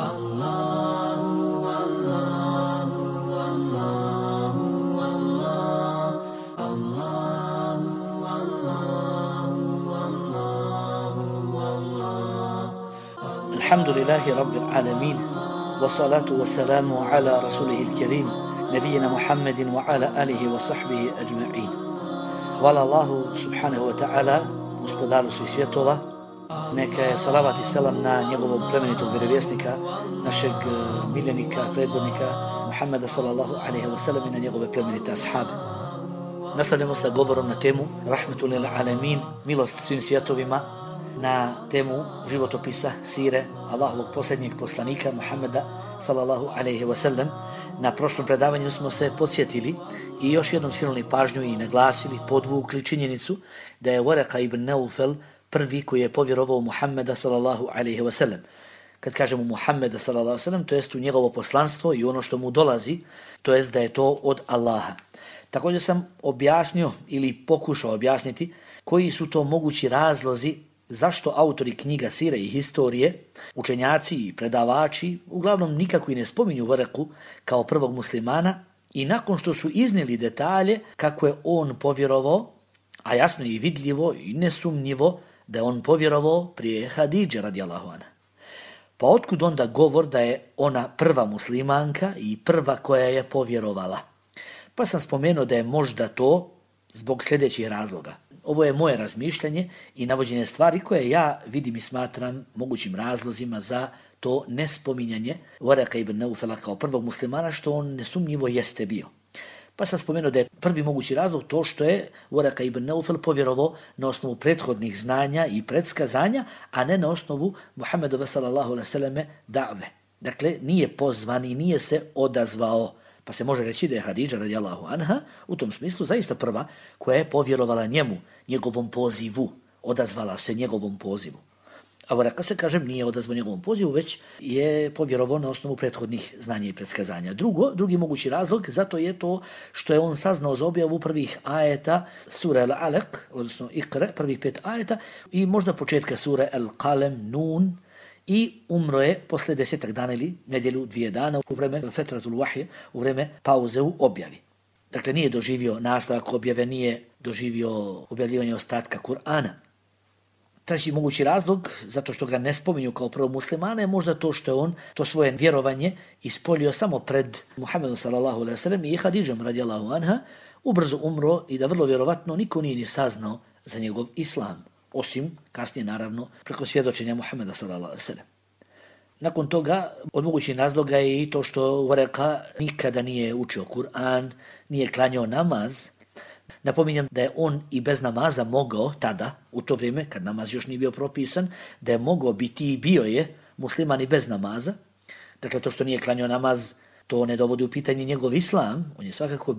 Alhamdulillahi Rabbil Alamin, wassalatu wassalamu ala rasulihil kerim, nabijina Muhammedin wa ala alihi wa sahbihi ajma'in. Hvala Allahu subhanahu wa ta'ala, gospodaru svih svjetova. Neka je salavat i selam na njegovog plemenitog vjerovjesnika, našeg miljenika, predvodnika Muhammeda sallallahu alaihi wa sallam i na njegove plemenite ashabe. Nastavljamo sa govorom na temu Rahmetul lil alamin, milost svim svjetovima, na temu životopisa sire Allahovog posljednjeg poslanika Muhammeda sallallahu alaihi wa sallam. Na prošlom predavanju smo se podsjetili i još jednom skrenuli pažnju i naglasili, podvukli činjenicu da je Waraka ibn Naufel prvi koji je povjerovao u Muhammeda sallallahu alaihi wa sallam. Kad kažemo Muhammeda sallallahu alaihi wa sallam, to jest u njegovo poslanstvo i ono što mu dolazi, to jest da je to od Allaha. Također sam objasnio ili pokušao objasniti koji su to mogući razlozi zašto autori knjiga sire i historije, učenjaci i predavači, uglavnom nikako i ne spominju Waraku kao prvog muslimana i nakon što su iznijeli detalje kako je on povjerovao, a jasno i vidljivo i nesumnjivo da je on povjerovao prije Hadidže radijallahu anha. Pa otkud onda govor da je ona prva muslimanka i prva koja je povjerovala? Pa sam spomenuo da je možda to zbog sljedećih razloga. Ovo je moje razmišljanje i navođenje stvari koje ja vidim i smatram mogućim razlozima za to nespominjanje Waraka ibn Naufela kao prvog muslimana, što on nesumnjivo jeste bio. Pa sam spomenuo da je prvi mogući razlog to što je Waraka ibn Naufel povjerovao na osnovu prethodnih znanja i predskazanja, a ne na osnovu Muhammedove sallallahu alejhi ve selleme da've. Dakle, nije pozvan i nije se odazvao. Pa se može reći da je Hadidža radijallahu anha u tom smislu zaista prva koja je povjerovala njemu, njegovom pozivu, odazvala se njegovom pozivu. A Waraka se, kažem, nije odazvao njegovom pozivu, već je povjerovao na osnovu prethodnih znanja i predskazanja. Drugi mogući razlog zato je to što je on saznao za objavu prvih ajeta sure Al-Alaq, odnosno Iqra, prvih 5 ajeta i možda početka sure Al-Qalem, Nun, i umro je posle 10 dana ili nedjelju 2 dana u vreme fetratul wahje, u vreme pauze u objavi. Dakle, nije doživio nastavak objave, nije doživio objavljivanje ostatka Kur'ana. Treći mogući razlog, zato što ga ne spominju kao prvog muslimana, je možda to što je on to svoje vjerovanje ispolio samo pred Muhammedom sallallahu alejhi ve sellem i Hadidžom radijallahu anha, ubrzo umro i da vrlo vjerovatno niko nije ni saznao za njegov islam. Osim kasnije, naravno, preko svjedočenja Muhammeda sallallahu alejhi ve sellem. Nakon toga, od mogućih razloga je i to što Waraka nikada nije učio Kur'an, nije klanjao namaz. Napominjem da je on i bez namaza mogao tada, u to vrijeme, kad namaz još nije bio propisan, da je mogao biti i bio je musliman i bez namaza. Dakle, to što nije klanjao namaz, to ne dovodi u pitanje njegov islam, on je svakako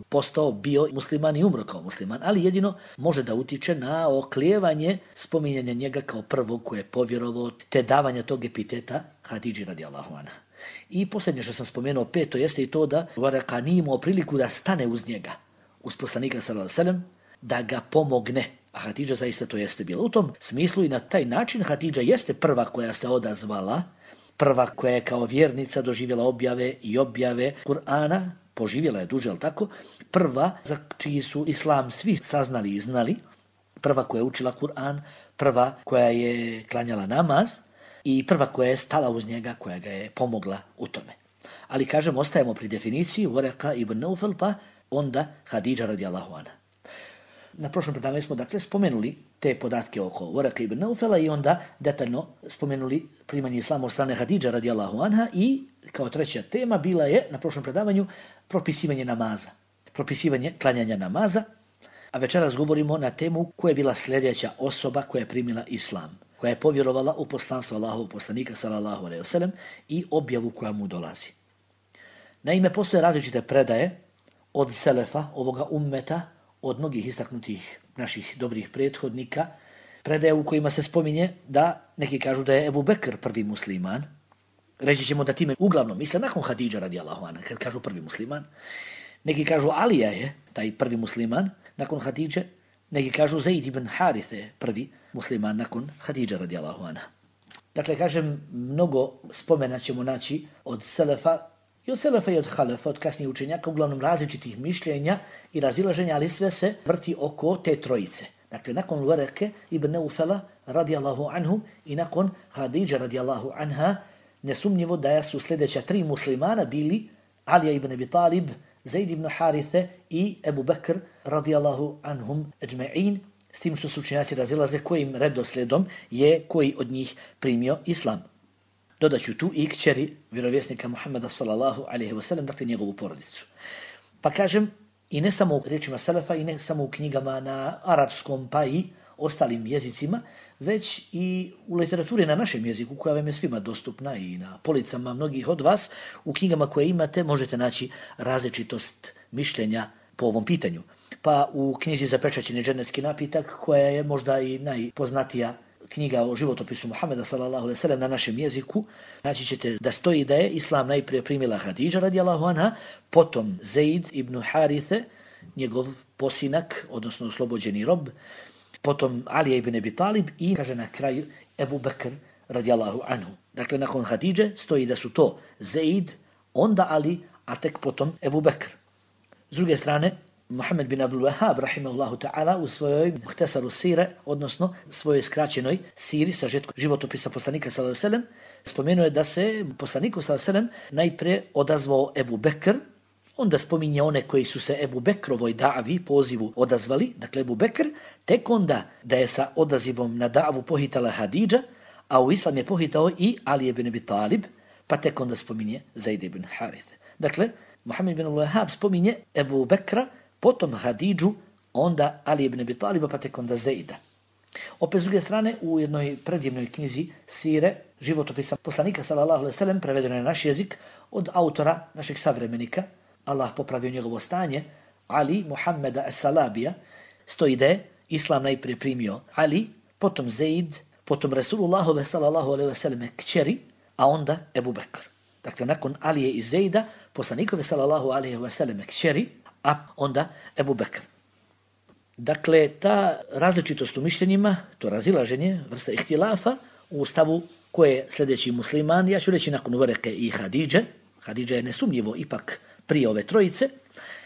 bio musliman i umro kao musliman, ali jedino može da utiče na oklijevanje spominjanja njega kao prvog koje je povjerovao, te davanja tog epiteta Hadidži radijallahu anha. I posljednje što sam spomenuo, peto, jeste i to da Waraka nije imao priliku da stane uz njega, uz poslanika sallallahu alejhi ve sellem, da ga pomogne. A Hadidža zaista to jeste bila. U tom smislu i na taj način Hadidža jeste prva koja se odazvala, prva koja je kao vjernica doživjela objave i objave Kur'ana, poživjela je duže, ali tako, prva za čiji su islam svi saznali i znali, prva koja je učila Kur'an, prva koja je klanjala namaz i prva koja je stala uz njega, koja ga je pomogla u tome. Ali, kažem, ostajemo pri definiciji Waraka ibn Naufel, pa onda Hadidža radijallahu anha. Na prošlom predavanju smo dakle spomenuli te podatke oko Waraka ibn Naufela i onda detaljno spomenuli primanje islama od strane Hadidža radijallahu anha i kao treća tema bila je na prošlom predavanju propisivanje namaza, propisivanje klanjanja namaza, a večeras govorimo na temu koja je bila sljedeća osoba koja je primila islam, koja je povjerovala u poslanstvo Allahovog poslanika sallallahu alejhi ve sellem i objavu koja mu dolazi. Naime, postoje različite predaje od selefa ovoga ummeta, od mnogih istaknutih naših dobrih prethodnika, predaje u kojima se spominje da neki kažu da je Ebu Bekr prvi musliman. Reći ćemo da time uglavnom misle nakon Hadidža radijallahu anha, kad kažu prvi musliman. Neki kažu Alija je taj prvi musliman nakon Hadidže, neki kažu Zaid ibn Harithe prvi musliman nakon Hadidža radijallahu anha. Dakle, kažem, mnogo spomena ćemo naći od selefa i od halefa, od kasnijih učenjaka, uglavnom različitih mišljenja i razilaženja, ali sve se vrti oko te trojice. Dakle, nakon Wareke ibn Neufela radijallahu anhu i nakon Hadidže radijallahu anha, nesumnjivo da su sljedeća 3 muslimana bili Alija ibn Abi Talib, Zaid ibn Harithe i Ebu Bekr radijallahu anhum ajma'in, s tim što su učenjaci razilaze kojim redoslijedom je koji od njih primio islam. Dodaću tu i kćeri vjerovjesnika Muhammeda sallallahu alejhi ve sellem, dakle njegovu porodicu. Pa kažem, i ne samo u riječima selefa i ne samo u knjigama na arapskom pa i ostalim jezicima, već i u literaturi na našem jeziku koja vam je svima dostupna i na policama mnogih od vas, u knjigama koje imate možete naći različitost mišljenja po ovom pitanju. Pa u knjizi Zapečaćeni dženecki napitak, koja je možda i najpoznatija knjiga o životopisu Muhameda sallallahu alejhi ve sellem na našem jeziku, naći ćete da stoji da je islam najprije primila Hadidža radijallahu anha, potom Zaid ibn Harithe, njegov posinak, odnosno oslobođeni rob, potom Alija ibn Abi Talib i kaže na kraju Ebu Bekr radijallahu anhu. Dakle, nakon Hadidže stoji da su to Zaid, onda Ali, a tek potom Ebu Bekr. S druge strane, Muhammed bin Abdul Wahhab, rahimahullahu ta'ala, u svojoj Muhtasaru Sire, odnosno svojoj skraćenoj siri, sažetku životopisa poslanika sallallahu alejhi ve sellem, spomenuo je da se poslaniku sallallahu alejhi ve sellem najprije odazvao Ebu Bekr, onda spominje one koji su se Ebu Bekrovoj davi, pozivu, odazvali, dakle Ebu Bekr, tek onda da je sa odazivom na davu pohitala Hadidža, a u islam je pohitao i Ali ibn Abi Talib, pa tek onda spominje Zaid ibn Harithe. Dakle, Muhammed bin Wahhab spominje Ebu Bekra, potom Hadidžu, onda Ali ibn Abi Taliba, pa tek onda Zaida. Opet s druge strane, u jednoj predivnoj knjizi Sire, životopisa poslanika sallallahu alejhi ve sellem, prevedeno je na naš jezik od autora našeg savremenika, Allah popravio njegovo stanje, Ali Muhammeda as-Salabija, stoji da je islam najprije primio Ali, potom Zaid, potom Resulullahove sallallahu alejhi ve selleme kćeri, a onda Ebu Bekr. Dakle, nakon Alije i Zaida, poslanikove sallallahu alejhi ve selleme kćeri, a onda Ebu Bekr. Dakle, ta različitost u mišljenjima, to razilaženje, vrsta ihtilafa u stavu ko je sljedeći musliman, ja ću reći nakon Wareke i Hadidže. Hadidža je nesumnjivo ipak prije ove trojice.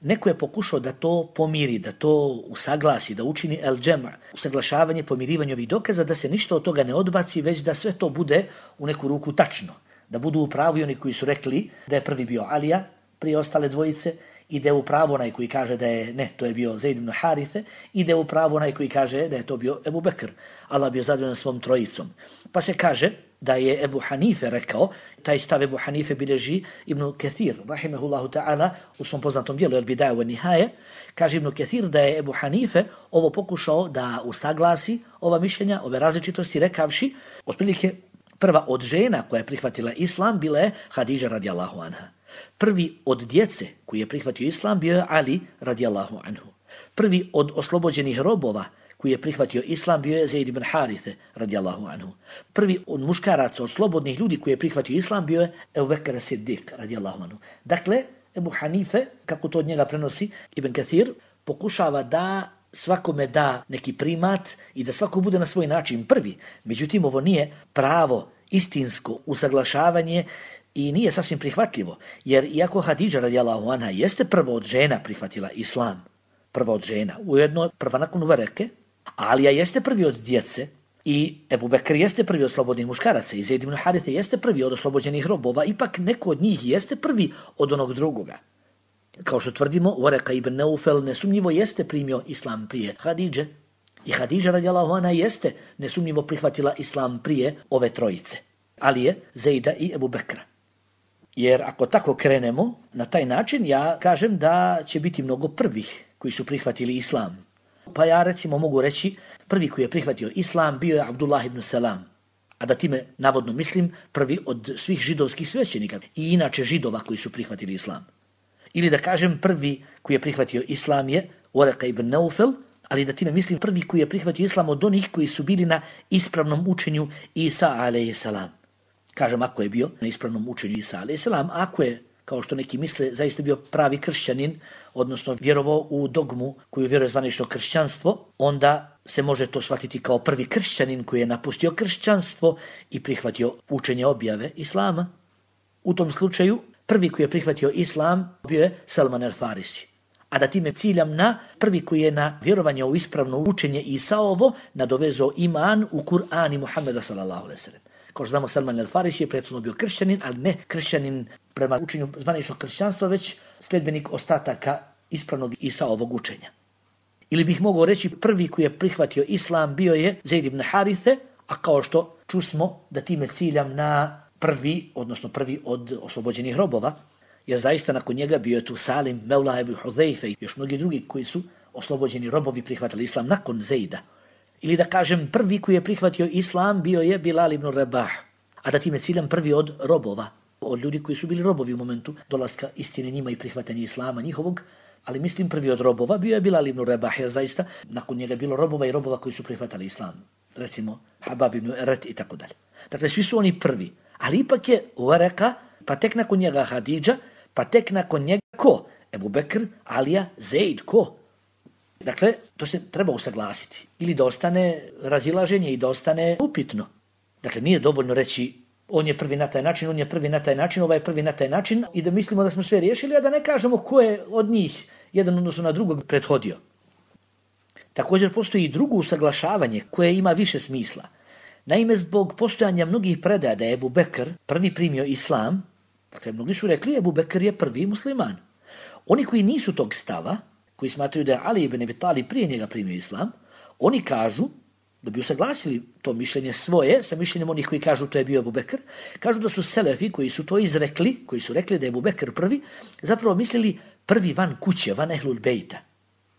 Neko je pokušao da to pomiri, da to usaglasi, da učini el-džema, usaglašavanje, pomirivanje ovih dokaza, da se ništa od toga ne odbaci, već da sve to bude u neku ruku tačno. Da budu u pravu oni koji su rekli da je prvi bio Alija prije ostale dvojice, i da je u pravu onaj koji kaže da je, ne, to je bio Zaid ibn Harithe, i da je u pravu onaj koji kaže da je to bio Ebu Bekr. Allah bio zadovoljan svom trojicom. Pa se kaže da je Ebu Hanife rekao, taj stav Ebu Hanife bilježi Ibn Kathir, rahimehullahu ta'ala, u svom poznatom dijelu Al-Bidaja wa Nihaje, kaže Ibn Kathir da je Ebu Hanife ovo pokušao da usaglasi ova mišljenja, ove različitosti, rekavši, otprilike prva od žena koja je prihvatila islam bila je Hadidža radijallahu anha. Prvi od djece koji je prihvatio islam bio je Ali radijallahu anhu. Prvi od oslobođenih robova koji je prihvatio islam bio je Zaid ibn Harithe radijallahu anhu. Prvi od muškaraca, od slobodnih ljudi koji je prihvatio islam bio je Ebu Bekr as-Siddiq radijallahu anhu. Dakle, Ebu Hanife, kako to od njega prenosi Ibn Kathir, pokušava da svakome da neki primat i da svako bude na svoj način prvi. Međutim, ovo nije pravo, istinsko usaglašavanje i nije sasvim prihvatljivo, jer iako Hadidža radijallahu anha jeste prva od žena prihvatila islam, prva od žena, ujedno prva nakon Wareke, Alija jeste prvi od djece i Ebu Bekr jeste prvi od slobodnih muškaraca i Zaid ibn Harithe jeste prvi od oslobođenih robova, ipak neko od njih jeste prvi od onog drugoga. Kao što tvrdimo, Wareka ibn Neufel nesumnjivo jeste primio islam prije Hadidže i Hadidža radijallahu anha jeste nesumnjivo prihvatila islam prije ove trojice, Alije, Zaida i Ebu Bekra. Jer ako tako krenemo, na taj način ja kažem da će biti mnogo prvih koji su prihvatili islam. Pa ja recimo mogu reći, prvi koji je prihvatio islam bio je Abdullah ibn Salam, a da time navodno mislim prvi od svih židovskih svećenika i inače židova koji su prihvatili islam. Ili da kažem prvi koji je prihvatio islam je Wareka ibn Neufel, ali da time mislim prvi koji je prihvatio islam od onih koji su bili na ispravnom učenju Isa alejhi salam. Kažem, ako je bio na ispravnom učenju Isa alejhi salam, ako je kao što neki misle, zaista bio pravi kršćanin, odnosno vjerovao u dogmu koju vjeruje zvanično kršćanstvo, onda se može to shvatiti kao prvi kršćanin koji je napustio kršćanstvo i prihvatio učenje objave Islama. U tom slučaju, prvi koji je prihvatio Islam bio je Salman el-Farisi. A da time ciljam na prvi koji je na vjerovanje u ispravno učenje Isaovo nadovezao iman u Kur'an i Muhammeda sallallahu alejhi ve sellem. Kao što znamo, Salman el-Farisi je prethodno bio kršćanin, ali ne kršćanin prema učenju zvaničnog kršćanstva, već sljedbenik ostataka ispravnog Isaovog učenja. Ili bih mogao reći, prvi koji je prihvatio Islam bio je Zaid ibn Harithe, a kao što čusmo da time ciljam na prvi od oslobođenih robova, jer zaista nakon njega bio je tu Salim, Mevla ibn Huzaife i još mnogi drugi koji su oslobođeni robovi prihvatili Islam nakon Zaida. Ili da kažem, prvi koji je prihvatio Islam bio je Bilal ibn Rabah, a da time ciljam prvi od robova, od ljudi koji su bili robovi u momentu dolaska istine njima i prihvatanja Islama njihovog, ali mislim prvi od robova bio je Bilal ibn Rabah, jer zaista nakon njega je bilo robova i robova koji su prihvatali Islam. Recimo Habab ibn Eret i tako dalje. Dakle, svi su oni prvi, ali ipak je Waraka, pa tek nakon njega Hadidža, pa tek nakon njega ko? Ebu Bekr, Alija, Zaid, ko? Dakle, to se treba usaglasiti. Ili da ostane razilaženje i da ostane upitno. Dakle, nije dovoljno reći on je prvi na taj način, on je prvi na taj način, ovaj je prvi na taj način i da mislimo da smo sve riješili, a da ne kažemo ko je od njih jedan odnosno na drugog prethodio. Također postoji i drugo usaglašavanje koje ima više smisla. Naime, zbog postojanja mnogih predaja da je Ebu Bekr prvi primio Islam, dakle, mnogi su rekli Ebu Bekr je prvi musliman. Oni koji nisu tog stava, koji smatraju da je Ali ibn Abi Talib prije njega primio Islam, oni kažu, da bi usaglasili to mišljenje svoje sa mišljenjem onih koji kažu to je bio Ebu Bekr, kažu da su selefi koji su to izrekli, koji su rekli da je Ebu Bekr prvi, zapravo mislili prvi van kuće, van ehlul bejta.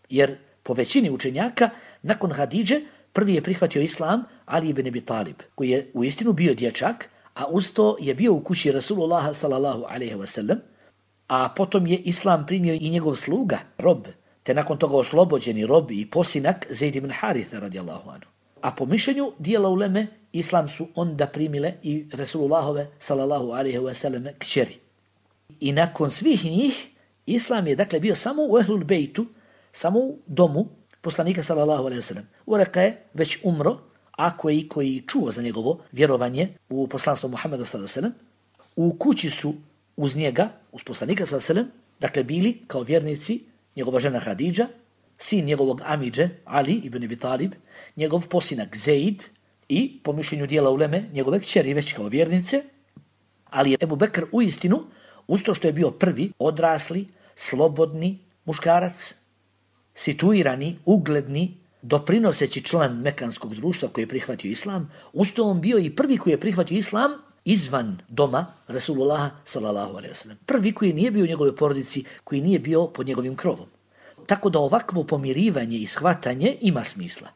Jer po većini učenjaka, nakon Hadidže, prvi je prihvatio Islam Ali ibn Abi Talib, koji je u istinu bio dječak, a uz to je bio u kući Rasulullaha sallallahu alejhi ve sellem, a potom je Islam primio i njegov sluga, rob, te nakon toga oslobođeni rob i posinak Zaid ibn Haritha radijallahu anhu. A po mišljenju dijela uleme, Islam su onda primile i Rasulullahove sallallahu alejhi ve selleme kćeri. I nakon svih njih, Islam je dakle bio samo u ehlul bejtu, samo u domu poslanika sallallahu alejhi ve sellem. Waraka je već umro, a koji čuo za njegovo vjerovanje u poslanstvo Muhammeda sallallahu alejhi ve sellem, u kući su uz njega, uz poslanika sallallahu alejhi ve sellem, dakle bili kao vjernici njegova žena Hadidža, sin njegovog amidže Ali ibn Abi Talib, njegov posinak Zaid i po mišljenju dijela uleme njegove kćeri već kao vjernice, ali je Ebu Bekr u istinu, uz to što je bio prvi, odrasli, slobodni muškarac, situirani, ugledni, doprinoseći član mekanskog društva koji je prihvatio Islam, uz to on bio i prvi koji je prihvatio Islam izvan doma Rasulullaha sallallahu alejhi ve sellem. Prvi koji nije bio u njegovoj porodici, koji nije bio pod njegovim krovom. Tako da ovakvo pomirivanje i shvatanje ima smisla.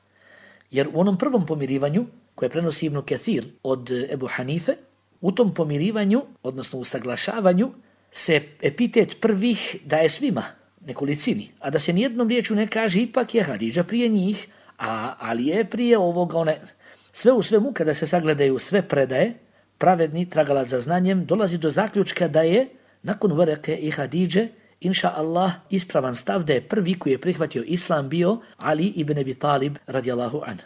Jer u onom prvom pomirivanju, koje prenosi Ibn Kathir od Ebu Hanife, u tom pomirivanju, odnosno u saglašavanju, se epitet prvih daje svima, nekolicini, a da se nijednom riječu ne kaže ipak je Hadidža prije njih, a Ali je prije ovoga, one. Sve u svemu, kada se sagledaju sve predaje, pravedni tragalac za znanjem dolazi do zaključka da je, nakon Warake i Hadidže, inša Allah, ispravan stav da je prvi koji je prihvatio Islam bio Ali ibn Abi Talib radijallahu anhu.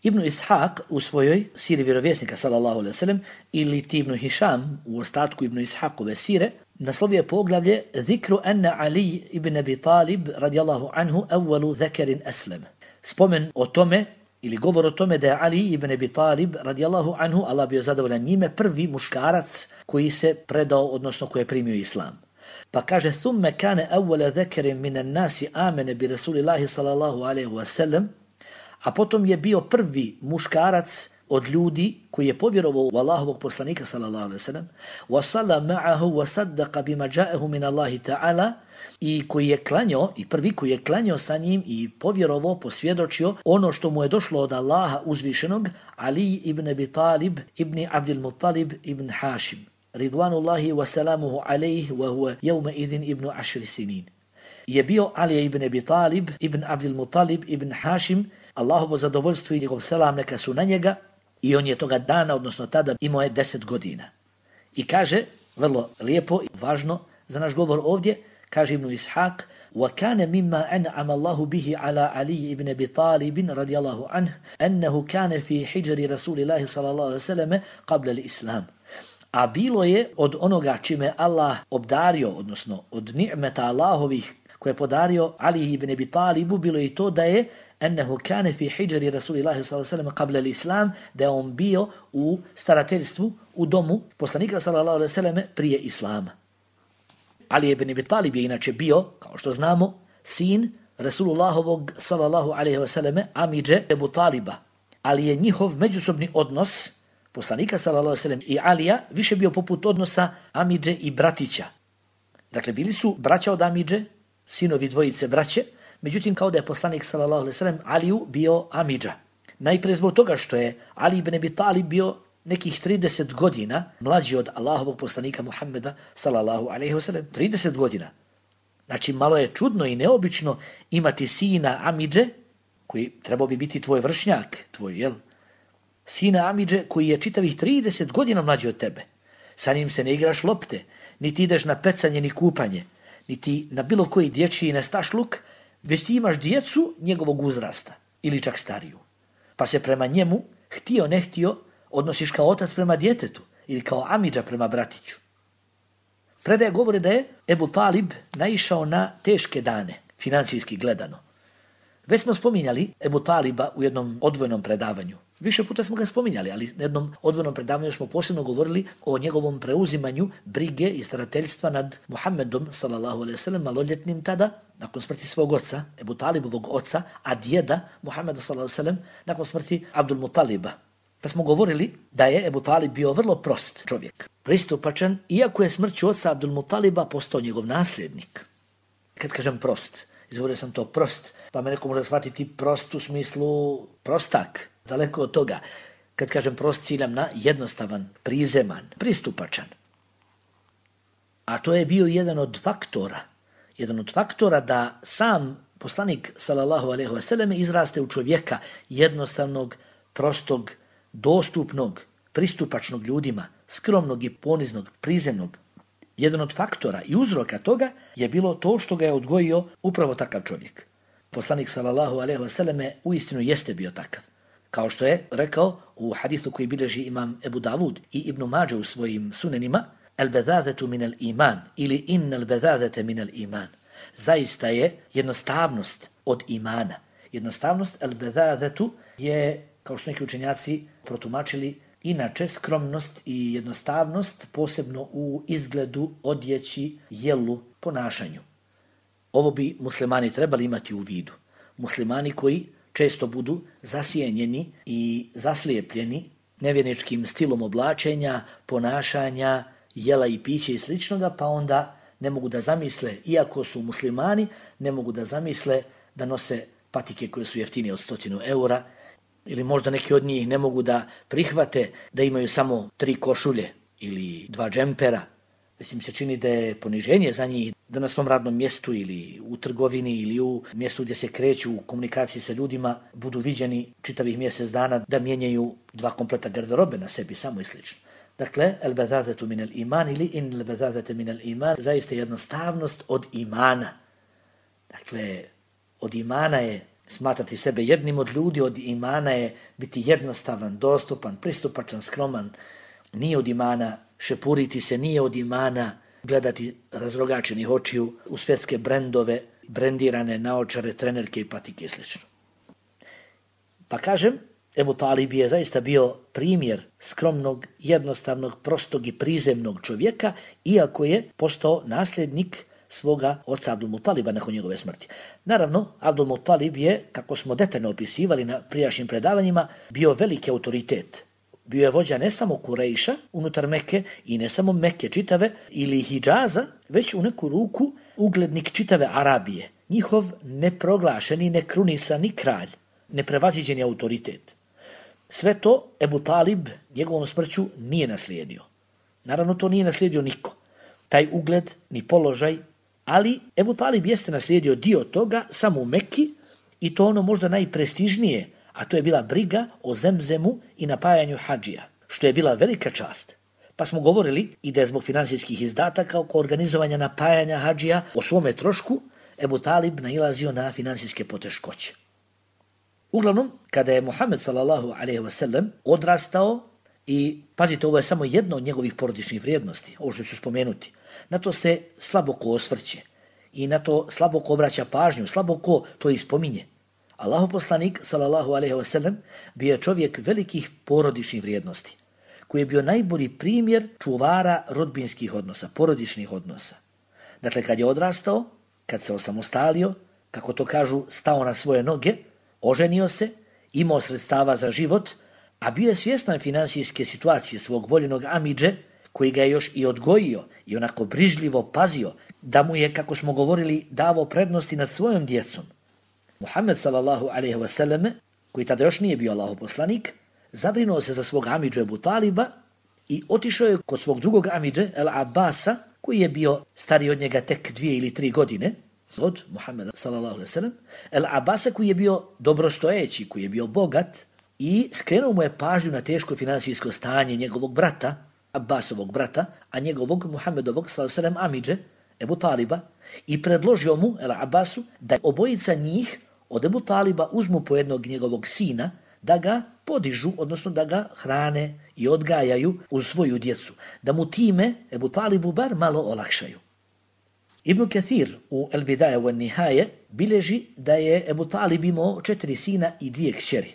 Ibn Ishaq u svojoj siri vjerovjesnika sallallahu alejhi ve sellem ili Ibn Hišam u ostatku Ibn Ishaqove sire naslovio poglavlje Zikru anna Ali ibn Abi Talib radijallahu anhu awwalu zakarin aslam. Spomen o tome ili govor o tome da je Ali ibn Abi Talib radijallahu anhu, Allah bio zadovoljan njime, prvi muškarac koji se predao, odnosno koji je primio Islam. Pa kaže, thumme kane awwala zakarin minan nasi amene bi Rasulillahi sallallahu alejhi ve sellem, a potom je bio prvi muškarac od ljudi koji je povjerovao u Allahovog poslanika sallallahu alejhi ve sellem, wa salla ma'ahu wa saddaqa bima ja'ahu min Allahi ta'ala, i koji je klanjao, i prvi koji je klanjao sa njim i povjerovao, posvjedočio ono što mu je došlo od Allaha uzvišenog, Ali ibn Abi Talib ibn Abdul Muttalib ibn Hashim, ridvanullahi wa salamuhu alejhi wa huwa yawma idhin ibn 10 sinin. Je bio Ali ibn Abi Talib ibn Abdul Muttalib ibn Hashim, Allahovo zadovoljstvo i njegov selam neka su na njega, i on je toga dana, odnosno tada, imao je 10 godina. I kaže vrlo lijepo i važno za naš govor ovdje, kaže Ibn Ishaq, وَكَانَ مِمَّا أَنْعَمَ اللَّهُ بِهِ عَلَى عَلِيِّ ibn Abi Talib رضي الله عنه أنه كان في حجر رسول الله صلى الله عليه وسلم قبل الإسلام. A bilo je od onoga čime Allah obdario, odnosno od ni'meta Allahovih koje je podario Ali ibn Abi Talibu, bilo je i to da je ennehu kane fi hijri Rasulillahi sallallahu alejhi ve sellem qabla al-islam, da je on bio u starateljstvu u domu poslanika sallallahu alejhi ve sellem prije islama. Ali ibn Abi Talib je inače bio, kao što znamo, sin Rasulullahovog sallallahu alejhi ve sellem amidže Ebu Taliba, ali je njihov međusobni odnos poslanika sallallahu alejhi ve sellem i Alija više bio poput odnosa amidže i bratića. Dakle, bili su braća od amidže, sinovi dvojice braće, međutim kao da je poslanik sallallahu alejhi ve sellem Aliju bio amidža. Najprije zbog toga što je Ali ibn Abi Talib bio nekih 30 godina mlađi od Allahovog poslanika Muhammeda sallallahu alejhi ve sellem. 30 godina. Znači malo je čudno i neobično imati sina amidže koji trebao bi biti tvoj vršnjak, tvoj, sina amidže koji je čitavih 30 godina mlađi od tebe. Sa njim se ne igraš lopte, niti ideš na pecanje ni kupanje, niti na bilo koji dječji nestašluk, već ti imaš djecu njegovog uzrasta ili čak stariju. Pa se prema njemu, htio ne htio, odnosiš kao otac prema djetetu ili kao amidža prema bratiću. Predaje govori da je Ebu Talib naišao na teške dane, financijski gledano. Već smo spominjali Ebu Taliba u jednom odvojenom predavanju. Više puta smo ga spominjali, ali na jednom odvojenom predavanju smo posebno govorili o njegovom preuzimanju brige i starateljstva nad Muhammedom sallallahu alejhi ve sellem, maloljetnim tada, nakon smrti svog oca, Ebu Talibovog oca, a djeda Muhammeda sallallahu alejhi ve sellem nakon smrti Abdul Mutaliba. Pa smo govorili da je Ebu Talib bio vrlo prost čovjek, pristupačan, iako je smrću oca Abdul Mutaliba postao njegov nasljednik. Kad kažem prost, izgovorio sam to prost, pa me neko može shvatiti prost u smislu prostak, daleko od toga. Kad kažem prost, ciljam na jednostavan, prizeman, pristupačan. A to je bio jedan od faktora da sam poslanik sallallahu alejhi ve sellem izraste u čovjeka jednostavnog, prostog, dostupnog, pristupačnog ljudima, skromnog i poniznog, prizemnog. Jedan od faktora i uzroka toga je bilo to što ga je odgojio upravo takav čovjek. Poslanik sallallahu alejhi ve sellem uistinu jeste bio takav. Kao što je rekao u hadisu koji bilježi imam Ebu Davud i Ibn Mađe u svojim sunenima, al-bezazetu min al-iman ili inna al-bezazete min al-iman. Zaista je jednostavnost od imana. Jednostavnost al-bezazetu je, kao što neki učenjaci protumačili, inače skromnost i jednostavnost posebno u izgledu, odjeći, jelu, ponašanju. Ovo bi muslimani trebali imati u vidu. Muslimani koji često budu zasjenjeni i zaslijepljeni nevjerničkim stilom oblačenja, ponašanja, jela i pića i sličnoga, pa onda ne mogu da zamisle, iako su muslimani, ne mogu da zamisle da nose patike koje su jeftinije od 100 eura, ili možda neki od njih ne mogu da prihvate da imaju samo 3 košulje ili 2 džempera. Mislim se čini da je poniženje za njih da na svom radnom mjestu ili u trgovini ili u mjestu gdje se kreću u komunikaciji sa ljudima budu viđeni čitavih mjesec dana da mijenjaju 2 kompleta garderobe na sebi samo i slično. Dakle, el-bezazetu min al-iman ili in el-bezazete min al-iman, zaista jednostavnost od imana. Dakle, od imana je smatrati sebe jednim od ljudi, od imana je biti jednostavan, dostupan, pristupačan, skroman. Nije od imana šepuriti se, nije od imana gledati razrogačenih očiju u svjetske brendove, brendirane naočare, trenerke i patike i sl. Pa kažem, Ebu Talib je zaista bio primjer skromnog, jednostavnog, prostog i prizemnog čovjeka, iako je postao nasljednik svoga oca Abdul Mutaliba nakon njegove smrti. Naravno, Abdul Mutalib je, kako smo detaljno opisivali na prijašnjim predavanjima, bio veliki autoritet. Bio je vođa ne samo Kurejša unutar Mekke i ne samo Mekke čitave ili Hidžaza, već u neku ruku uglednik čitave Arabije. Njihov neproglašeni, nekrunisani kralj, neprevaziđeni autoritet. Sve to Ebu Talib njegovom smrću nije naslijedio. Naravno, to nije naslijedio niko. Taj ugled, ni položaj, ali Ebu Talib jeste naslijedio dio toga samo u Mekki i to ono možda najprestižnije, a to je bila briga o Zemzemu i napajanju hadžija, što je bila velika čast. Pa smo govorili i da je zbog finansijskih izdataka oko organizovanja napajanja hadžija o svome trošku Ebu Talib nailazio na finansijske poteškoće. Uglavnom, kada je Muhammed sallallahu alejhi ve sellem odrastao, i pazite, ovo je samo jedno od njegovih porodičnih vrijednosti, ovo što ću spomenuti, na to se slabo ko osvrće i na to slabo ko obraća pažnju, slabo ko to ispominje. Allahov poslanik sallallahu alejhi ve sellem bio je čovjek velikih porodičnih vrijednosti, koji je bio najbolji primjer čuvara rodbinskih odnosa, porodičnih odnosa. Dakle, kad je odrastao, kad se osamostalio, kako to kažu, stao na svoje noge, oženio se, imao sredstava za život, a bio je svjestan finansijske situacije svog voljenog amidže, koji ga je još i odgojio i onako brižljivo pazio, da mu je, kako smo govorili, davao prednosti nad svojom djecom. Muhammed sallallahu alejhi ve selleme, koji tada još nije bio Allahov poslanik, zabrinuo se za svog amidžu Ebu Taliba i otišao je kod svog drugog amidže El Abbasa, koji je bio stariji od njega tek 2 ili 3 godine, od Muhammeda sallallahu alejhi ve sellem, El Abbasa koji je bio dobrostojeći, koji je bio bogat, i skrenuo mu je pažnju na teško finansijsko stanje njegovog brata, Abbasovog brata, a njegovog Muhammedovog sallallahu alejhi ve sellem amidže Ebu Taliba, i predložio mu, El Abbasu, da obojica njih od Ebu Taliba uzmu po jednog njegovog sina, da ga podižu, odnosno da ga hrane i odgajaju uz svoju djecu, da mu time Ebu Talibu bar malo olakšaju. Ibn Kathir u El Bidaje wa Nihaje bilježi da je Ebu Talib imao 4 sina i 2 kćeri.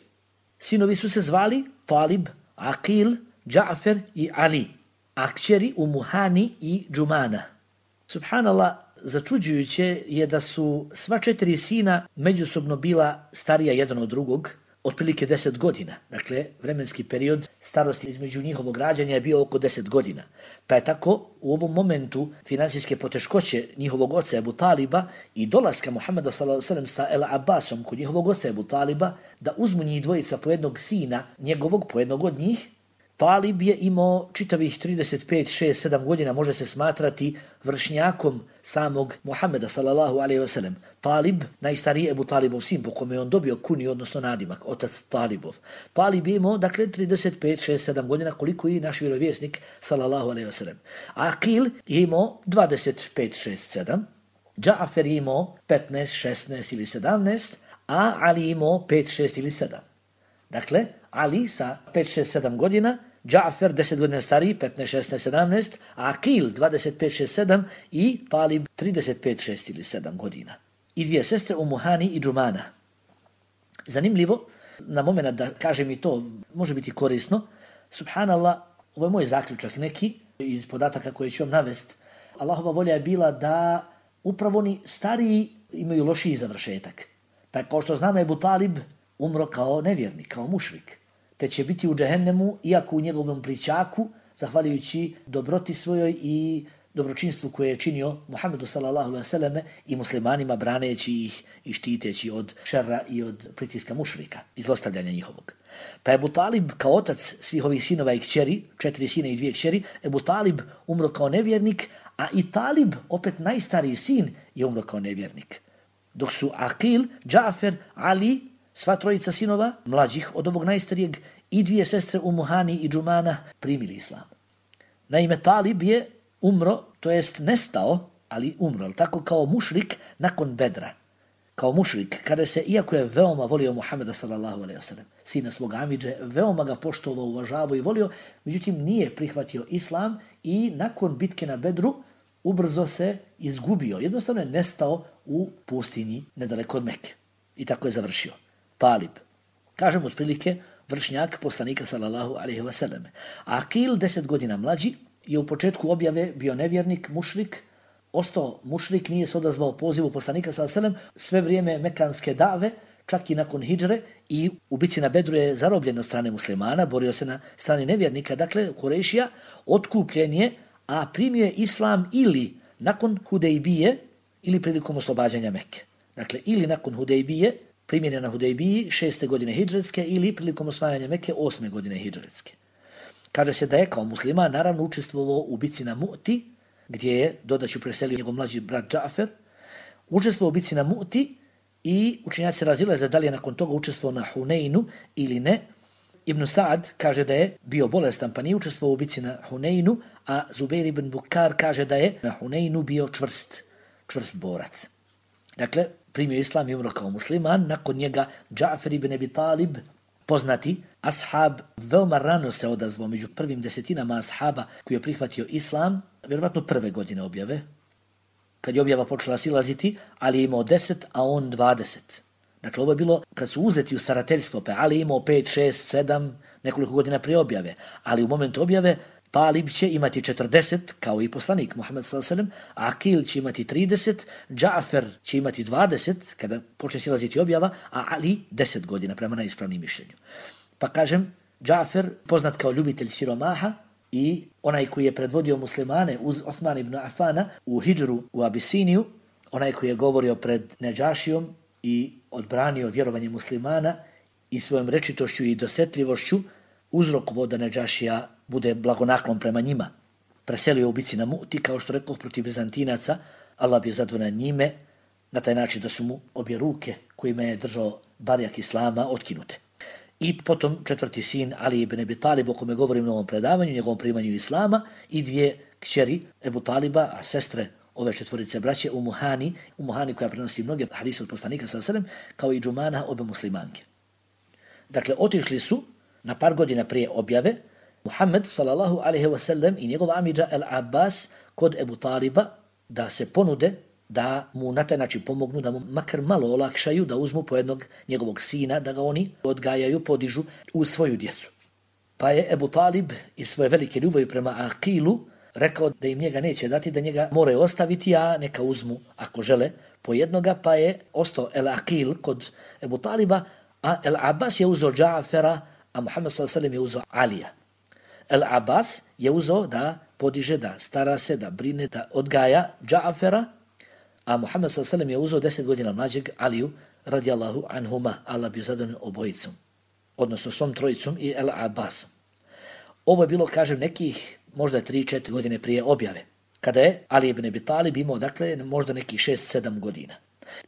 Sinovi su se zvali Talib, Aqil, Dža'fer i Ali, a kćeri Umuhani i Džumana. Subhanallah, začuđujuće je da su sva 4 sina međusobno bila starija jedan od drugog, otprilike 10 godina. Dakle, vremenski period starosti između njihovog rađanja je bio oko 10 godina. Pa je tako u ovom momentu finansijske poteškoće njihovog oca Ebu Taliba i dolaska Muhammeda sallallahu alejhi ve sellem sa El Abbasom kod njihovog oca Ebu Taliba, da uzmu njih dvojica po jednog sina njegovog, po jednog od njih, Talib je imao čitavih 35, 6, 7 godina, može se smatrati vršnjakom samog Muhammeda sallallahu alejhi ve sellem. Talib, najstariji Ebu Talibov sin, po kome je on dobio kuni, odnosno nadimak, otac Talibov. Talib je imao, dakle, 35, 6, 7 godina, koliko i naš vjerovjesnik sallallahu alejhi ve sellem. Aqil je imao 25, 6, 7, Dža'fer je imao 15, 16 ili 17, a Ali je imao 5, 6 ili 7. Dakle, Ali sa 5, 6, 7 godina, Dža'fer 10 godina stariji, 15, 16, 17, Aqil 25, 6, 7 i Talib 35, 6 ili 7 godina. I 2 sestre Umuhani i Džumana. Zanimljivo, na moment da kažem i to, može biti korisno, subhanallah, ovo je moj zaključak neki iz podataka koje ću vam navest. Allahova volja je bila da upravo oni stariji imaju lošiji završetak. Pa kao što znamo, Ebu Talib umro kao nevjernik, kao mušrik, te će biti u džehennemu, iako u njegovom plićaku, zahvaljujući dobroti svojoj i dobročinstvu koje je činio Muhammedu sallallahu alejhi ve selleme i muslimanima, braneći ih i štiteći od šerra i od pritiska mušrika i zlostavljanja njihovog. Pa Ebu Talib kao otac svih ovih sinova i kćeri, 4 sina i 2 kćeri, Ebu Talib umro kao nevjernik, a i Talib, opet najstariji sin, je umro kao nevjernik. Dok su Aqil, Dža'fer, Ali, sva trojica sinova, mlađih od ovog najstarijeg, i 2 sestre Umuhani i Džumana primili islam. Naime, Talib je umro, to jest nestao, ali umro, tako kao mušrik nakon Bedra. Kao mušrik, kada se, iako je veoma volio Muhammeda sallallahu alejhi ve sellem, sina svog amidže, veoma ga poštovao, uvažavao i volio, međutim nije prihvatio islam i nakon bitke na Bedru ubrzo se izgubio. Jednostavno je nestao u pustinji nedaleko od Mekke. I tako je završio. Talib. Kažem otprilike vršnjak poslanika sallallahu alejhi ve selleme. Aqil 10 godina mlađi je u početku objave bio nevjernik, mušrik, ostao mušrik, nije se odazvao pozivu poslanika sallallahu alejhi ve sellem sve vrijeme mekanske dave, čak i nakon hidžre, i u bici na Bedru je zarobljen od strane muslimana, borio se na strani nevjernika, dakle Kurejšija, otkupljen je, a primio je islam ili nakon Hudejbije ili prilikom oslobađanja Mekke. Dakle, ili nakon Hudejbije, primjene na Hudejbiji 6. godine hidžretske, ili prilikom osvajanja Mekke 8. godine hidžretske. Kaže se da je kao musliman naravno učestvovao u bici na Mu'ti, gdje je, dodaću, preselio njegov mlađi brat Dža'fer, učestvovao u bici na Mu'ti i učenjaci razilaze da li je nakon toga učestvovao na Huneinu ili ne. ibn Sa'ad kaže da je bio bolestan pa nije učestvovao u bici na Huneinu, a Zubair ibn Bukar kaže da je na Huneinu bio čvrst borac. Dakle, primio islam i umro kao musliman, nakon njega Džafer ibn Abi Talib, poznati ashab, veoma rano se odazvao među prvim desetinama ashaba koji je prihvatio islam, vjerovatno prve godine objave, kad je objava počela silaziti, Ali je imao 10, a on 20. Dakle, ovo je bilo kad su uzeti u starateljstvo, pa Ali je imao 5, 6, 7, nekoliko godina prije objave, ali u momentu objave Talib će imati 40, kao i poslanik Muhammed s.a.v. Akil će imati 30, Džafer će imati 20, kada počne silaziti objava, a Ali 10 godina, prema najispravnim mišljenju. Pa kažem, Džafer, poznat kao ljubitelj siromaha i onaj koji je predvodio muslimane uz Osman ibn Afana u hidžru u Abisiniju, onaj koji je govorio pred Nedžašijom i odbranio vjerovanje muslimana i svojom rečitošću i dosetljivošću uzrokovo da Nedžašija bude blagonaklon prema njima. Preselio u bici na Mu'ti, kao što rekoh, protiv Bizantinaca, Allah bio zadovoljan njime, na taj način da su mu obje ruke kojima je držao barjak islama otkinute. I potom četvrti sin Ali ibn Abi Talib, o kome govorim u ovom predavanju, njegovom primanju islama, i dvije kćeri Ebu Taliba, a sestre ove četvorice braće Umuhani koja prenosi mnoge hadise od poslanika s.a.v. kao i Džumana, obe muslimanke. Dakle, otišli su na par godina prije objave Muhammed sallallahu alejhi ve sellem i njegov amidža El Abbas kod Ebu Taliba da se ponude da mu na taj način pomognu, da mu makar malo olakšaju, da uzmu po jednog njegovog sina, da ga oni odgajaju, podižu u svoju djecu. Pa je Ebu Talib iz svoje velike ljubavi prema Akilu rekao da im njega neće dati, da njega moraju ostaviti, a neka uzmu ako žele po jednoga, pa je ostao El Akil kod Ebu Taliba, a El Abbas je uzeo Džafera, a Muhammed s.a.v. je uzeo Alija. El Abbas je uzeo da podiže, da stara se, da brine, da odgaja Džafera, a Muhammed s.a.v. je uzeo 10 godina mlađeg Aliju radijallahu anhuma, Allah bio zadovoljan obojicom, odnosno svom trojicom i El Abbasom. Ovo je bilo, kažem, nekih možda 3-4 godine prije objave, kada je Ali ibn Abi Talib imao, dakle, možda nekih 6-7 godina.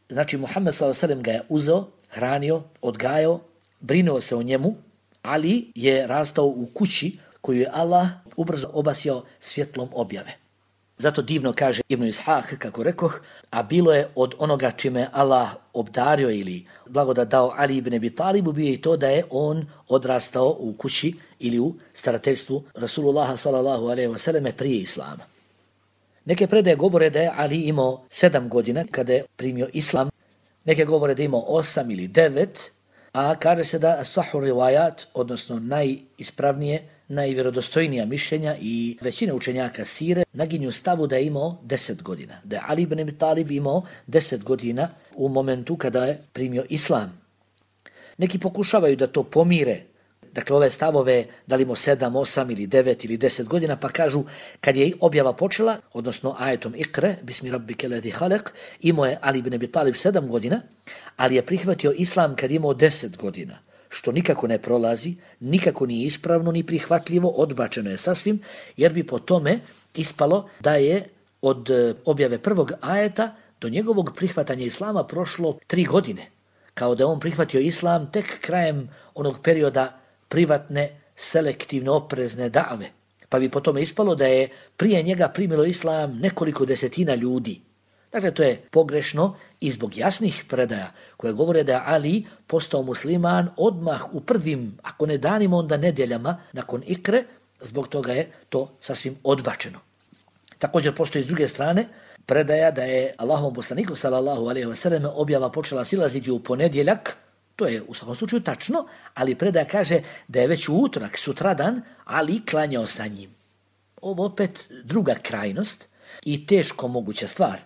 Znači, Muhammed s.a.v. ga je uzeo, hranio, odgajao, brinuo se o njemu. Ali je rastao u kući koju je Allah ubrzo obasjao svjetlom objave. Zato divno kaže Ibn Ishaq, kako rekoh, a bilo je od onoga čime Allah obdario ili blagodat dao Ali ibn Abi Talibu, bio je to da je on odrastao u kući ili u starateljstvu Rasulullaha sallallahu alejhi ve selleme prije islama. Neke predaje govore da je Ali imao 7 godina kada je primio islam, neke govore da je imao 8 ili 9, a kaže se da sahur rivajat, odnosno najispravnije, najvjerodostojnija mišljenja i većina učenjaka sire naginju stavu da je imao 10 godina. Da je Ali ibn Abi Talib imao 10 godina u momentu kada je primio islam. Neki pokušavaju da to pomire, dakle ove stavove, da li imao 7, 8 ili 9 ili 10 godina, pa kažu kad je objava počela, odnosno ajetom Ikre, bismi rabbike ladhi halak, imao je Ali ibn Abi Talib 7 godina, ali je prihvatio islam kad je imao 10 godina, što nikako ne prolazi, nikako nije ispravno ni prihvatljivo, odbačeno je sasvim, jer bi po tome ispalo da je od objave prvog ajeta do njegovog prihvatanja islama prošlo 3 godine, kao da je on prihvatio islam tek krajem onog perioda privatne, selektivne, oprezne dave. Pa bi po tome ispalo da je prije njega primilo islam nekoliko desetina ljudi. Dakle, to je pogrešno i zbog jasnih predaja koje govore da je Ali postao musliman odmah u prvim, ako ne danima, onda nedjeljama nakon Ikre, zbog toga je to sasvim odbačeno. Također postoji s druge strane predaja da je Allahovom poslaniku sallallahu alejhi ve sellem objava počela silaziti u ponedjeljak. To je u svakom slučaju tačno, ali predaja kaže da je već u utorak, sutradan, Ali klanjao sa njim. Ovo opet druga krajnost i teško moguća stvar,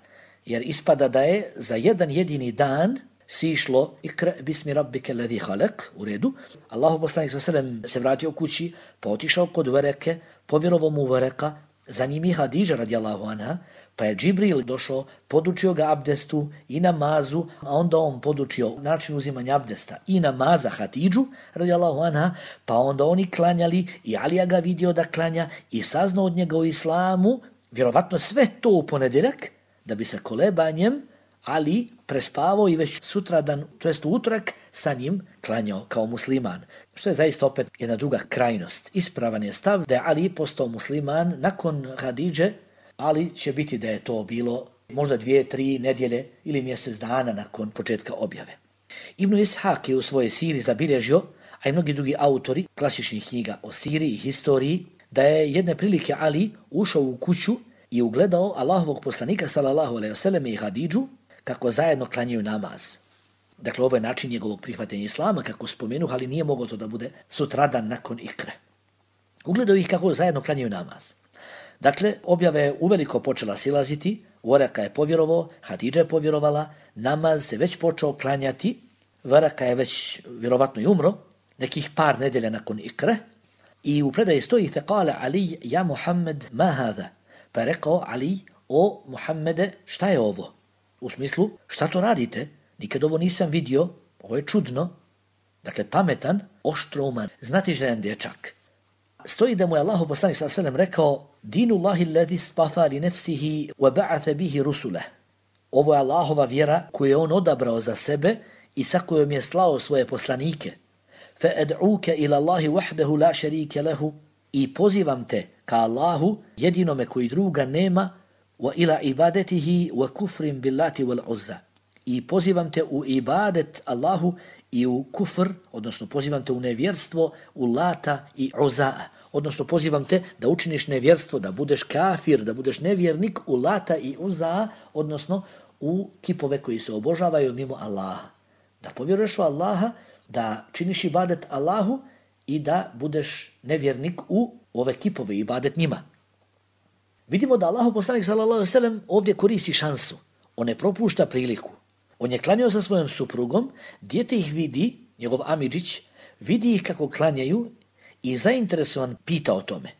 jer ispada da je za jedan jedini dan sišlo Ikra bismi rabbike ladhi halak, u redu. Allahov poslanik sallallahu alejhi ve sellem se vratio kući, pa otišao kod Vereke, povjerovao mu Vereka, za njim i Hadidža radijallahu anha, pa je Džibril došao, podučio ga abdestu i namazu, a onda on podučio način uzimanja abdesta i namaza Hadidžu radijallahu anha, pa onda oni klanjali i Alija ga vidio da klanja i saznao od njega u islamu, vjerovatno sve to u ponedjeljak, da bi se kolebanjem Ali prespavao i već sutradan, to jest u utorak, sa njim klanjao kao musliman. što je zaista opet jedna druga krajnost. Ispravan je stav da je Ali postao musliman nakon Hadidže, ali će biti da je to bilo možda 2-3 nedjelje ili mjesec dana nakon početka objave. Ibn Ishaq je u svojoj siri zabilježio, a i mnogi drugi autori klasičnih knjiga o siri i historiji, da je jedne prilike Ali ušao u kuću i ugledao Allahovog poslanika sallallahu alejhi ve selleme i Hadidžu kako zajedno klanjaju namaz. Dakle, ovo je način njegovog prihvatanja islama, kako spomenu, ali nije moglo to da bude sutradan nakon ikre. Ugledao ih kako zajedno klanjaju namaz. Dakle, objava je uveliko počela silaziti, Varaka je povjerovao, Hadidža je povjerovala, namaz se već počeo klanjati, Varaka je već vjerovatno i umro, nekih par nedelja nakon ikre, i u predaji stoji fekale Ali, ja Muhammed, ma hada? Pa je rekao Ali, o Muhammede, šta je ovo? U smislu, šta to radite? Nikad ovo nisam vidio, ovo je čudno. Dakle, pametan, oštrouman, znatiželjan dječak. Stoji da mu je Allahu poslanik sallallahu alejhi ve sellem rekao: "Dinullahi allazi istafa li nafsihi wa ba'atha bihi rusulah." Ovo je Allahova vjera koju je on odabrao za sebe i sa kojom je slao svoje poslanike. Fa ad'uka ila Allahi wahdahu la sharika lahu, i pozivam te ka Allahu jedinome koji druga nema, wa ila ibadatihi wa kufrin billati wal uzza. I pozivam te u ibadet Allahu i u kufr, odnosno pozivam te u nevjerstvo, u Lata i Uzaa. Odnosno pozivam te da učiniš nevjerstvo, da budeš kafir, da budeš nevjernik u Lata i Uzaa, odnosno u kipove koji se obožavaju mimo Allaha. Da povjeruješ u Allaha, da činiš ibadet Allahu i da budeš nevjernik u ove kipove, ibadet njima. Vidimo da Allahu poslanik sallallahu alejhi ve sellem ovdje koristi šansu. On ne propušta priliku. On je klanjao sa svojom suprugom, dijete ih vidi, njegov amidžić, vidi ih kako klanjaju i zainteresovan pita o tome.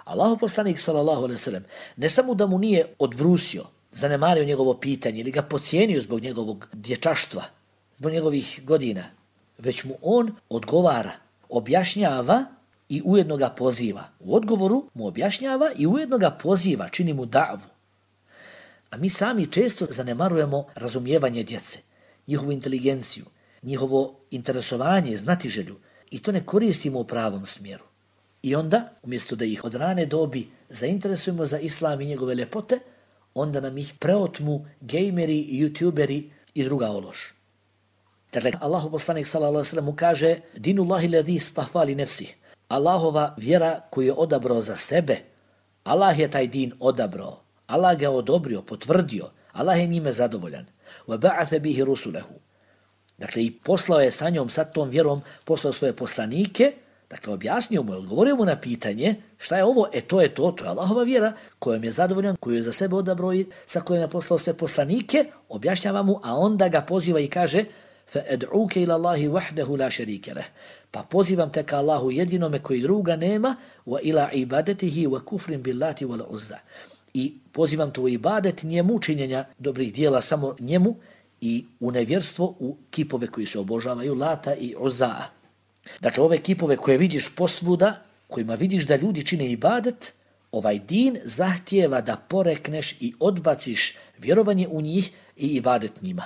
Allahu poslanik sallallahu alejhi ve sellem ne samo da mu nije odbrusio, zanemario njegovo pitanje ili ga podcijenio zbog njegovog dječaštva, zbog njegovih godina, već mu on odgovara, objašnjava i ujedno ga poziva. U odgovoru mu objašnjava i ujedno ga poziva, čini mu davu. A mi sami često zanemarujemo razumijevanje djece, njihovu inteligenciju, njihovo interesovanje, znatiželju, i to ne koristimo u pravom smjeru. I onda, umjesto da ih od rane dobi zainteresujemo za islam i njegove ljepote, onda nam ih preotmu gejmeri, youtuberi i druga ološ. Dakle, Allahu poslanik sallallahu alejhi ve sellem mu kaže: "Dinullahi allazi istafa li nafsihi." Allahova vjera koju je odabrao za sebe. Allah je taj din odabrao. Allah ga odobrio, potvrdio. Allah je njime zadovoljan. Wa ba'atha bihi rusulahu. Dakle, i poslao je sa njom, sa tom vjerom, poslao svoje poslanike. Dakle, objasnio mu, odgovorio mu na pitanje šta je ovo, to je Allahova vjera kojom je zadovoljan, koju je za sebe odabrao i sa kojom je poslao sve poslanike, objašnjava mu, a onda ga poziva i kaže: "Fa ad'uka ila Allahi wahdahu la sharika lah." Pa pozivam te ka Allahu jedinome koji druga nema, wa ila ibadatihi wa kufrin billati wal uzza. I pozivam te u ibadet njemu, činjenja dobrih dijela samo njemu, i u nevjerstvo, u kipove koji se obožavaju, Lata i Uzaa. Dakle, ove kipove koje vidiš posvuda, kojima vidiš da ljudi čine ibadet, ovaj din zahtijeva da porekneš i odbaciš vjerovanje u njih i ibadet njima.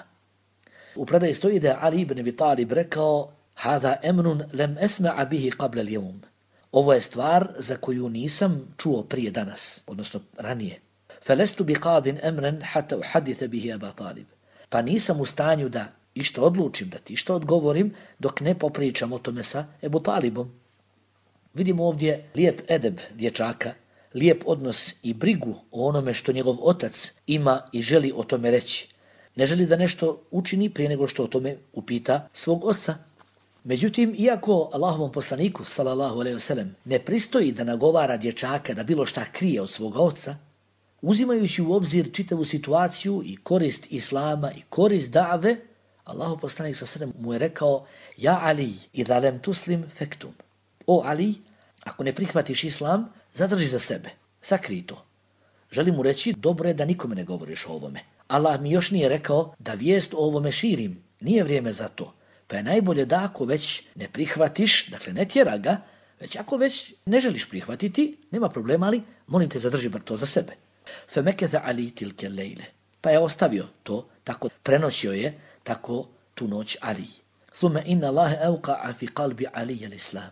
U predaji stoji da je Ali ibn Abi Talib rekao: "Hada emrun lem esma'a bihi qabla al-yawm." Ovo je stvar za koju nisam čuo prije danas, odnosno ranije. "Falastu biqadin amran hatta uhadditha bihi Aba Talib." Pa nisam u stanju da išta odlučim, da ti išta odgovorim, dok ne popričam o tome sa Ebu Talibom. Vidimo ovdje lijep edeb dječaka, lijep odnos i brigu o onome što njegov otac ima i želi o tome reći. Ne želi da nešto učini prije nego što o tome upita svog oca. Međutim, iako Allahovom poslaniku, sallallahu alejhi ve sellem, ne pristoji da nagovara dječaka da bilo šta krije od svoga oca, uzimajući u obzir čitavu situaciju i korist islama i korist da've, Allahov poslanik sallallahu alejhi ve sellem mu je rekao: "Ja Ali, idha lam tuslim faktum." O Ali, ako ne prihvatiš islam, zadrži za sebe, sakrij to. Želim mu reći, dobro je da nikome ne govoriš o ovome. Allah mi još nije rekao da vijest o ovome širim, nije vrijeme za to. Pa je najbolje da ako već ne prihvatiš, dakle ne tjera ga, već ako već ne želiš prihvatiti, nema problema, ali molim te zadrži bar to za sebe. Femeketha Ali tilke lejle. Pa je ostavio to, tako prenoćio je, tako tu noć Ali. Thumma inna Allahe evqa'a fi qalbi Alija l'Islam.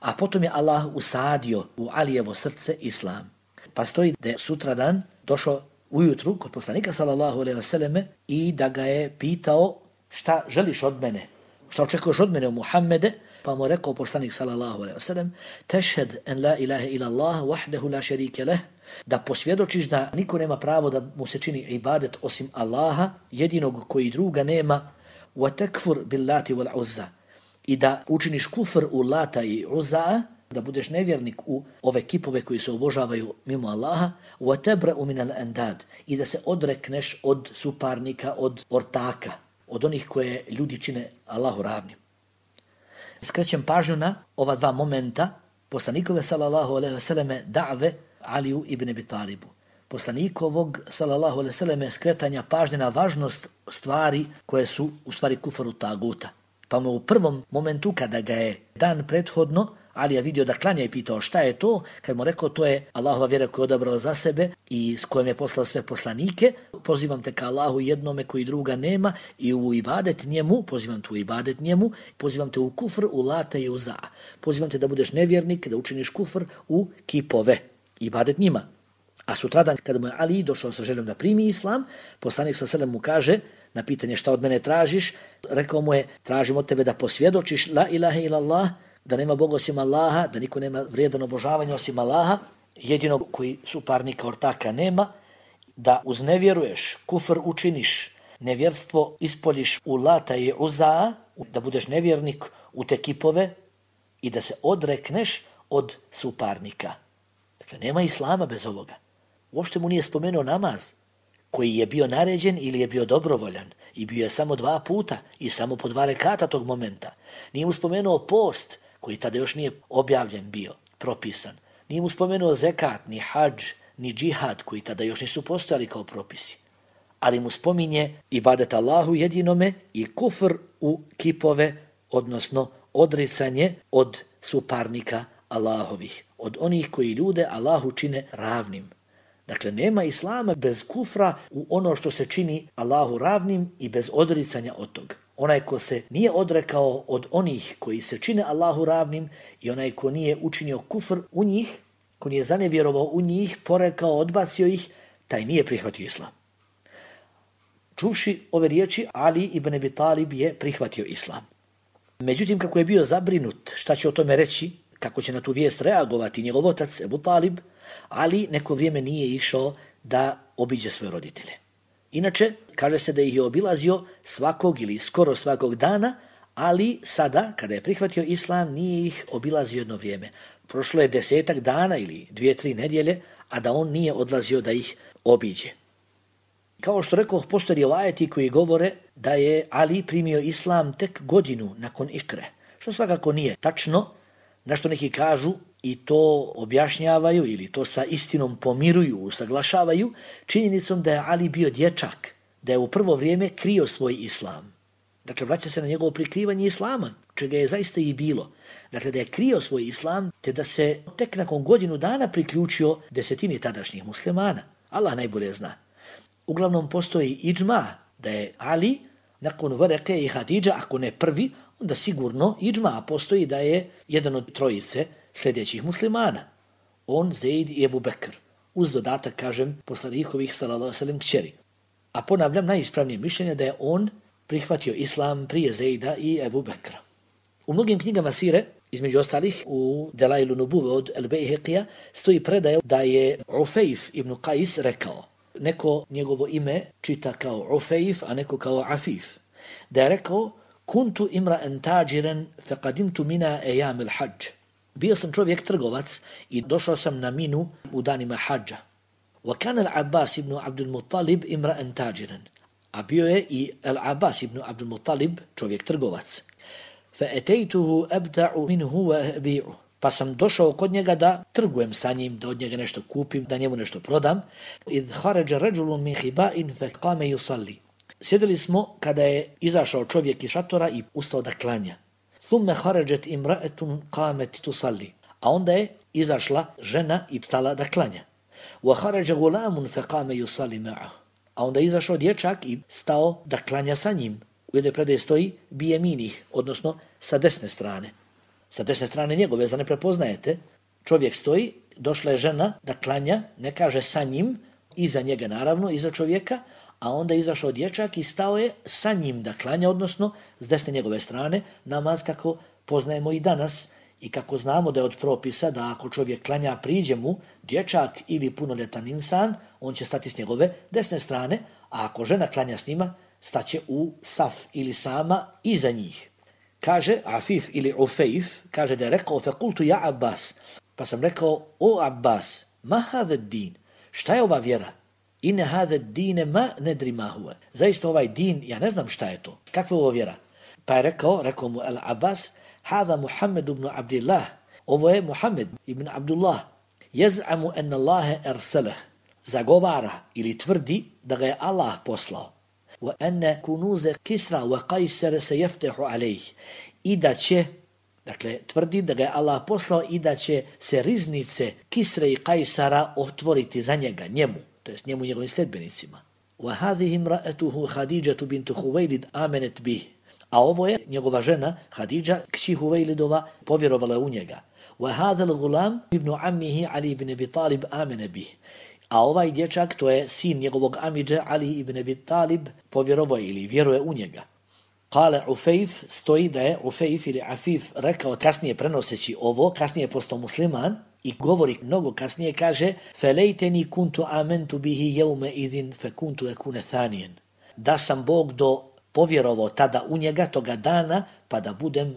A potom je Allah usadio u Alijevo srce Islam. Pa stoji da je sutradan došao ujutru kod poslanika sallallahu alejhi ve selleme i da ga je pitao šta želiš od mene, šta očekuješ od mene o Muhammede, pa mu rekao poslanik sallallahu alejhi ve sellem tešhed en la ilaha illa Allah wahdahu la sharika leh, da posvjedočiš da niko nema pravo da mu se čini ibadet osim Allaha, jedinog koji druga nema, wa takfur billati wal uzza, i da učiniš kufr u Lata i Uzza, da budeš nevjernik u ove kipove koji se obožavaju mimo Allaha, wa tabra'u min al-andad, i da se odrekneš od suparnika, od ortaka, od onih koje ljudi čine Allahu ravnim. Skrećem pažnju na ova dva momenta poslanikove sallallahu alejhi ve selleme da've Aliju ibn Abi Talibu. Poslanikovog sallallahu alejhi ve selleme skretanja pažnje na važnost stvari koje su u stvari kufru taguta. Pa mu u prvom momentu kada ga je dan prethodno Alija vidio da klanja i pitao šta je to, kad mu rekao to je Allahova vjera koju je odabrao za sebe i s kojom je poslao sve poslanike, pozivam te ka Allahu jednome koji druga nema i u ibadet njemu, pozivam te u ibadet njemu, pozivam te u kufr, u Lata i u Za. Pozivam te da budeš nevjernik, da učiniš kufr u kipove, ibadet njima. A sutradan kada mu je Ali došao sa željom da primi islam, poslanik sa selem mu kaže na pitanje šta od mene tražiš, rekao mu je tražim od tebe da posvjedočiš la ilaha illallah, da nema Boga osim Allaha, da niko nema vrijedan obožavanja osim Allaha, jedinog koji suparnika ortaka nema, da uznevjeruješ, kufr učiniš, nevjerstvo ispoljiš u Lata i Uzza, da budeš nevjernik u te kipove i da se odrekneš od suparnika. Dakle, nema islama bez ovoga. Uopšte mu nije spomenuo namaz, koji je bio naređen ili je bio dobrovoljan i bio je samo 2 puta i samo po 2 rekata tog momenta. Nije mu spomenuo post, koji tada još nije objavljen bio, propisan. Nije mu spomenuo zekat, ni hadž, ni džihad, koji tada još nisu postojali kao propisi. Ali mu spominje ibadet Allahu jedinome i kufr u kipove, odnosno odricanje od suparnika Allahovih, od onih koji ljude Allahu čine ravnim. Dakle, nema islama bez kufra u ono što se čini Allahu ravnim i bez odricanja od toga. Onaj ko se nije odrekao od onih koji se čine Allahu ravnim i onaj ko nije učinio kufr u njih, ko nije zanevjerovao u njih, porekao, odbacio ih, taj nije prihvatio islam. Čuvši ove riječi, Ali ibn Abi Talib je prihvatio islam. Međutim, kako je bio zabrinut šta će o tome reći, kako će na tu vijest reagovati njegov otac Ebu Talib, Ali neko vrijeme nije išao da obiđe svoje roditelje. Inače, kaže se da ih je obilazio svakog ili skoro svakog dana, ali sada, kada je prihvatio islam, nije ih obilazio jedno vrijeme. Prošlo je 10 dana ili 2-3 nedjelje, a da on nije odlazio da ih obiđe. Kao što rekao, postoje rivajeti koji govore da je Ali primio islam tek godinu nakon Ikre, što svakako nije tačno, na što neki kažu i to objašnjavaju ili to sa istinom pomiruju, usaglašavaju, činjenicom da je Ali bio dječak, da je u prvo vrijeme krio svoj islam. Dakle, vraća se na njegovo prikrivanje islama, čega je zaista i bilo. Dakle, da je krio svoj islam, te da se tek nakon godinu dana priključio 10 tadašnjih muslimana. Allah najbolje zna. Uglavnom postoji iđma da je Ali nakon Vareke i Hadidža, ako ne prvi, onda sigurno iđma postoji da je jedan od trojice sljedećih muslimana. On, Zaid i Ebu Bekr. Uz dodatak, kažem, poslanikovih sallallahu alejhi ve sellem kćeri. A ponavljam, najispravnije mišljenje da je on prihvatio islam prije Zaida i Ebu Bekra. U mnogim knjigama sire, između ostalih u Delailu Nubuve od El-Bejheqija, stoji predaje da je Ufejf ibn Qais rekao, neko njegovo ime čita kao Ufejf, a neko kao Afif, da je rekao, kuntu imra'an tajiran faqadimtu mina ejam al-hajj. Bio sam čovjek trgovac i došao sam na Minu u danima hadža. Wa kana al-Abbas ibn Abdul Muttalib imra'an tajiran. A bio je i al-Abbas ibn Abdul Muttalib čovjek trgovac. Fa ataytuhu abta'u minhu wa abi'u. Pa sam došao kod njega da trgujem sa njim, da od njega nešto kupim, da njemu nešto prodam. Idh kharaja rajulun min khiba'in fa qama yusalli. Sjedili smo kada je izašao čovjek iz šatora i ustao da klanja. Thumma kharajat imra'atun qamat tusalli. A onda je izašla žena i stala da klanja. Wa kharaja gulamun fa qama yusalli ma'ahu. A onda je izašao dječak i stao da klanja sa njim. u jednoj predaji stoji bijeminih, odnosno sa desne strane. Sa desne strane njegove, za ne prepoznajete, čovjek stoji, došla je žena da klanja, ne kaže sa njim, iza njega naravno, iza čovjeka, a onda je izašao dječak i stao je sa njim da klanja, odnosno s desne njegove strane, namaz kako poznajemo i danas i kako znamo da je od propisa da ako čovjek klanja priđe mu dječak ili punoljetan insan, on će stati s njegove desne strane, a ako žena klanja s njima, staće u saf ili sama iza njih. Kaže Afif ili Ufejf, kaže da je rekao fekultu ja Abbas, pa sam rekao o Abbas, ma hada din, šta je ova vjera? Ine hada dine ma nedri ma huve. Zaista ovaj din, ja ne znam šta je to, kakva je ovo vjera? Pa je rekao mu El Abbas, hada Muhammed ibn Abdillah, ovo je Muhammed ibn Abdullah, jez'amu en Allahe erselah, zagovara ili tvrdi da ga je Allah poslao. وأن كنوز كسرى وقيصر سيفتح عليه i da će, dakle, tvrdi da ga je Allah poslao i da će se riznice Kisre i Kajsara otvoriti za njega, njemu, to jest njemu njegovim sledbenicima. وَهَذِهِ امْرَأَتُهُ خَدِيجَةُ بِنْتُ خُوَيْلِدْ آمَنَتْ بِهِ. A ovo je njegova žena, Hadidža, kći Huvejlidova, povjerovala u njega. وَهَذَا الْغُلَامِ ibn عَمِّهِ عَلِي ibn Abi Talib آمَنَ بِهِ. A ovaj dječak, to je sin njegovog amidže Ali ibn Abi Talib, povjerovao ili vjeruje u njega. Kale Ufejf, stoji da je Ufejf ili Afif rekao kasnije prenoseći ovo, kasnije je postao musliman i govori mnogo kasnije, kaže felejteni kuntu amentu bihi jeume idin fe kuntu ekune thanijen. Da sam Bog povjerovao tada u njega toga dana pa da budem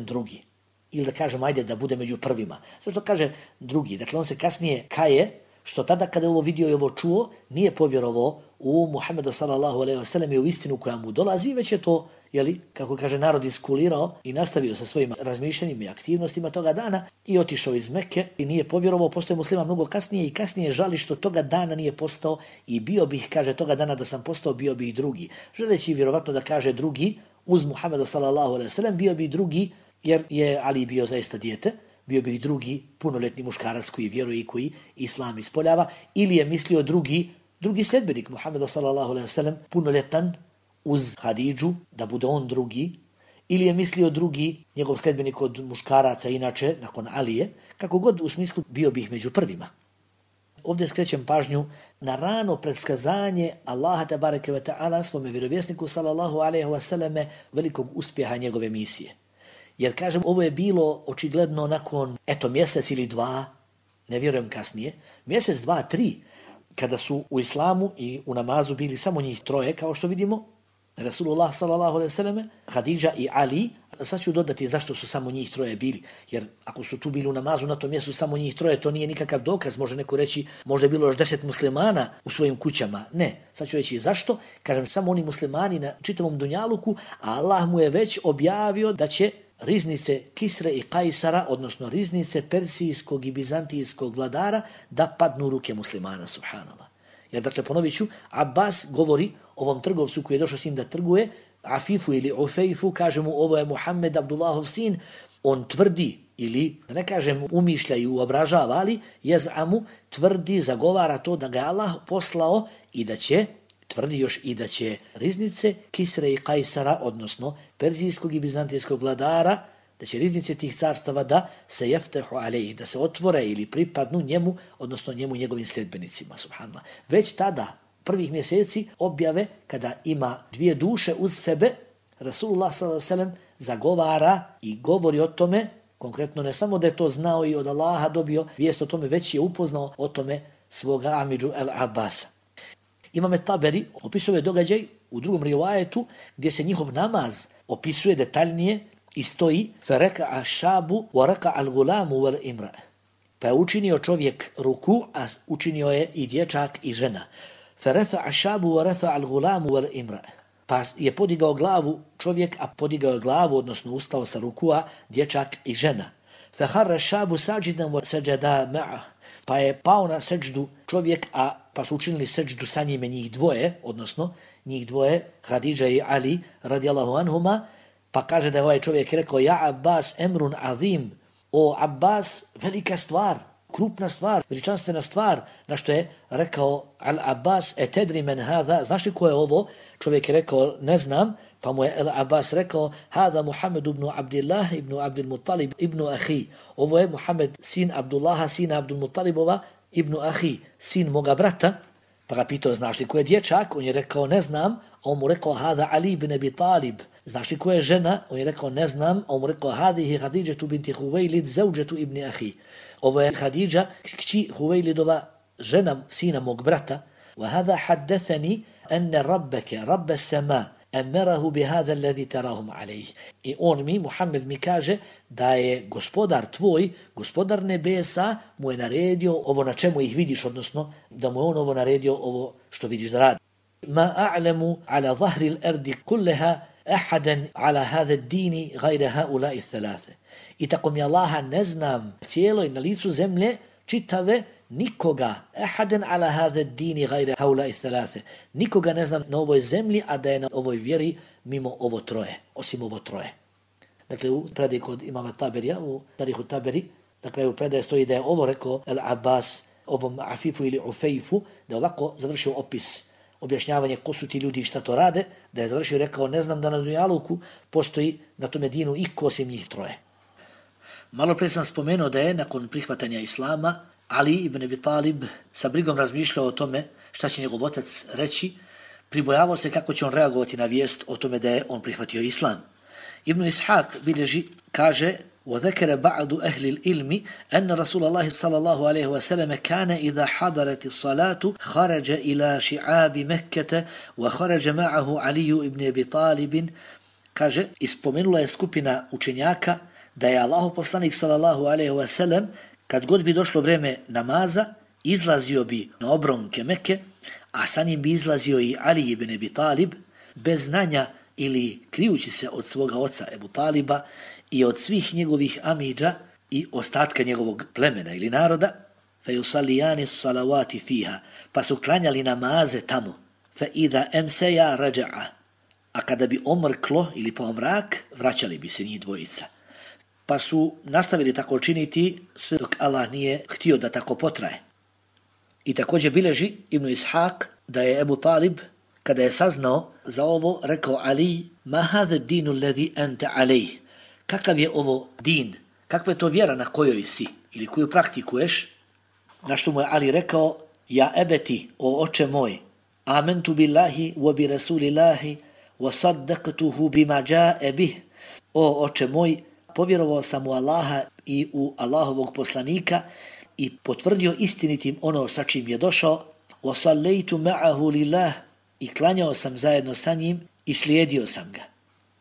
drugi. Ili da kažem, ajde da bude među prvima. Zašto kaže drugi? Dakle, on se kasnije kaje, što tada kada je ovo vidio i ovo čuo, nije povjerovao u Muhammeda sallallahu alejhi ve sellem i u istinu koja mu dolazi, već je to, kako kaže, narod iskulirao i nastavio sa svojim razmišljanjima i aktivnostima toga dana i otišao iz Mekke i nije povjerovao, postoje musliman mnogo kasnije i kasnije žali što toga dana nije postao i bio bih, kaže, toga dana da sam postao, bio bih drugi. Želeći vjerovatno da kaže drugi, uz Muhammeda sallallahu alejhi ve sellem, bio bi drugi, jer je Ali bio zaista dijete, bio bi drugi punoljetni muškarac koji vjeruje i koji islam ispoljava, ili je mislio drugi sledbenik Muhammeda sallallahu alejhi ve sellem, punoljetan uz Hadidžu, da bude on drugi, ili je mislio drugi njegov sledbenik od muškaraca inače, nakon Alije, kako god u smislu bio bih među prvima. Ovdje skrećem pažnju na rano predskazanje Allaha tebareke ve ta'ala svome vjerovjesniku sallallahu alejhi ve selleme velikog uspjeha njegove misije. Jer, kažem, ovo je bilo očigledno nakon, mjesec ili dva, ne vjerujem kasnije, mjesec, dva, tri, kada su u islamu i u namazu bili samo njih troje, kao što vidimo, Rasulullah sallallahu alejhi ve selleme, Hadidža i Ali. Sad ću dodati zašto su samo njih troje bili, jer ako su tu bili u namazu na tom mjestu samo njih troje, to nije nikakav dokaz, može neko reći, možda je bilo još 10 muslimana u svojim kućama. Ne, sad ću reći zašto, kažem, samo oni muslimani na čitavom dunjaluku, a Allah mu je već objavio da će riznice Kisre i Kajsara, odnosno riznice persijskog i bizantijskog vladara, da padnu u ruke muslimana, subhanallah. Jer, dakle, ponovit ću, Abbas govori ovom trgovcu koji je došao s njim da trguje, Afifu ili Ufejfu, kaže mu ovo je Muhammed Abdullahov sin, on tvrdi, ili da ne kažem umišlja i uobražava, ali jez'amu tvrdi, zagovara to da ga je Allah poslao i da će, tvrdi još i da će riznice Kisre i Kajsara, odnosno perzijskog i bizantijskog vladara, da će riznice tih carstava da se jeftehu alejhi, da se otvore ili pripadnu njemu, odnosno njemu njegovim sljedbenicima, subhanallah. Već tada, prvih mjeseci objave, kada ima dvije duše uz sebe, Rasulullah sallallahu alejhi ve sellem zagovara i govori o tome, konkretno ne samo da je to znao i od Allaha dobio vijest o tome, već je upoznao o tome svoga amidžu El Abbasa. Imam Taberi opisuje događaj u drugom rivajetu gdje se njihov namaz opisuje detaljnije i stoji فرَكَعَ الشَّابُ وَرَكَعَ الْغُلَامُ وَالْإِمْرَأُ. Pa je učinio čovjek ruku, a učinio je i dječak i žena. فَرَفَعَ الشَّابُ وَرَفَعَ الْغُلَامُ وَالْإِمْرَأُ. Pa je podigao glavu čovjek, a podigao je glavu, odnosno ustao sa rukua, dječak i žena. فَخَرَّ الشَّابُ سَاجِدًا وَسَجَدَا مَعَهُ. Pa je pao na seđdu čovjek, pa su učinili seđdu sa njime njih dvoje, odnosno njih dvoje, Hadidža i Ali, radijallahu anhuma, pa kaže da je ovaj čovjek rekao, ja Abbas emrun azim, o Abbas, velika stvar, krupna stvar, veličanstvena stvar, na što je rekao Al-Abbas, etedri men hada, znaš li ko je ovo? Čovjek je rekao, ne znam, pa mu je Al-Abbas rekao, hada Muhammed ibn Abdillah ibn Abdul Muttalib ibn Ahi. Ovo je Muhammed, sin Abdullaha, sina Abdul Muttalibova, ibn Ahi, sin moga brata. Pa ga pitao, znaš li ko je dječak? On je rekao, ne znam. A on mu rekao, hada Ali ibn Abi Talib. Znaš li ko je žena? On je rekao, ne znam. A on mu rekao, hadihi Hadidžetu binti Huvejlid, zauđetu ibn Ahi. Ovo je Hadidža, kći Huvejlidova, žena sina mog brata. Wa hada haddethani enne rabbeke, rabbe sema, emerahu bi hada alladhi tarahum alejih. I on mi, Muhammed mi kaže da je gospodar tvoj, gospodar nebesa, mu je naredio ovo na čemu ih vidiš, odnosno da mu je on ovo naredio, ovo što vidiš da radi. Ma a'lamu ala zahri al-ardi kullaha ahadan ala hada ad-dini ghayra haula'i thalatha. I tako mi Allaha ne znam cijeloj na licu zemlje čitave nikoga, ahadan ala hada ad-dini ghayra haula'i thalatha. Nikoga ne znam na ovoj zemlji, a da je na ovoj vjeri mimo ovo troje, osim ovo troje. Dakle, u predaji kod imama Taberija, u Tarihu Taberi, na kraju predaje stoji da je ovo rekao Al-Abbas, ovom Afifu ili Ufejfu, da je ovako završio opis, objašnjavanje ko su ti ljudi i šta to rade, da je završio i rekao, ne znam da na Dunjaluku postoji na tome dinu iko osim njih troje. Malo pre sam spomenuo da je nakon prihvatanja Islama Ali ibn Abi Talib sa brigom razmišljao o tome šta će njegov otac reći, pribojavao se kako će on reagovati na vijest o tome da je on prihvatio Islam. Ibn Ishaq bilježi, kaže, وذكر بعض أهل العلم أن رسول الله صلى الله عليه وسلم كان إذا حضرت الصلاة خرج إلى شعاب مكة وخرج معه علي بن أبي طالب. Kaže, ispomenula je skupina učenjaka da je Allahov poslanik sallallahu alejhi ve sellem kad god bi došlo vrijeme namaza izlazio bi na obronke Mekke, a sa njim bi izlazio i Ali ibn Abi Talib bez znanja ili krijući se od svoga oca Ebu Taliba i od svih njegovih amidža i ostatka njegovog plemena ili naroda, fejusalliyani salavati fiha, pa su klanjali namaze tamo, fe idha emseja raja'a, a kada bi omrklo ili pa omrak, vraćali bi se njih dvojica. Pa su nastavili tako činiti sve dok Allah nije htio da tako potraje. I također bileži Ibn Ishaq da je Ebu Talib, kada je saznao za ovo, rekao Ali, ma hadha ad-dinu alladhi anta alayh. Kakav je ovo din? Kakva je to vjera na kojoj si ili koju praktikuješ? Na što mu je Ali rekao, ja ebeti, o oče moj, amantu billahi wa bi rasulillahi wa saddaqtuhu bima jaa bih. O oče moj, povjerovao sam u Allaha i u Allahovog poslanika i potvrdio istinitim ono sa čim je došao, wa sallaytu ma'ahu lillah, i klanjao sam zajedno sa njim i slijedio sam ga.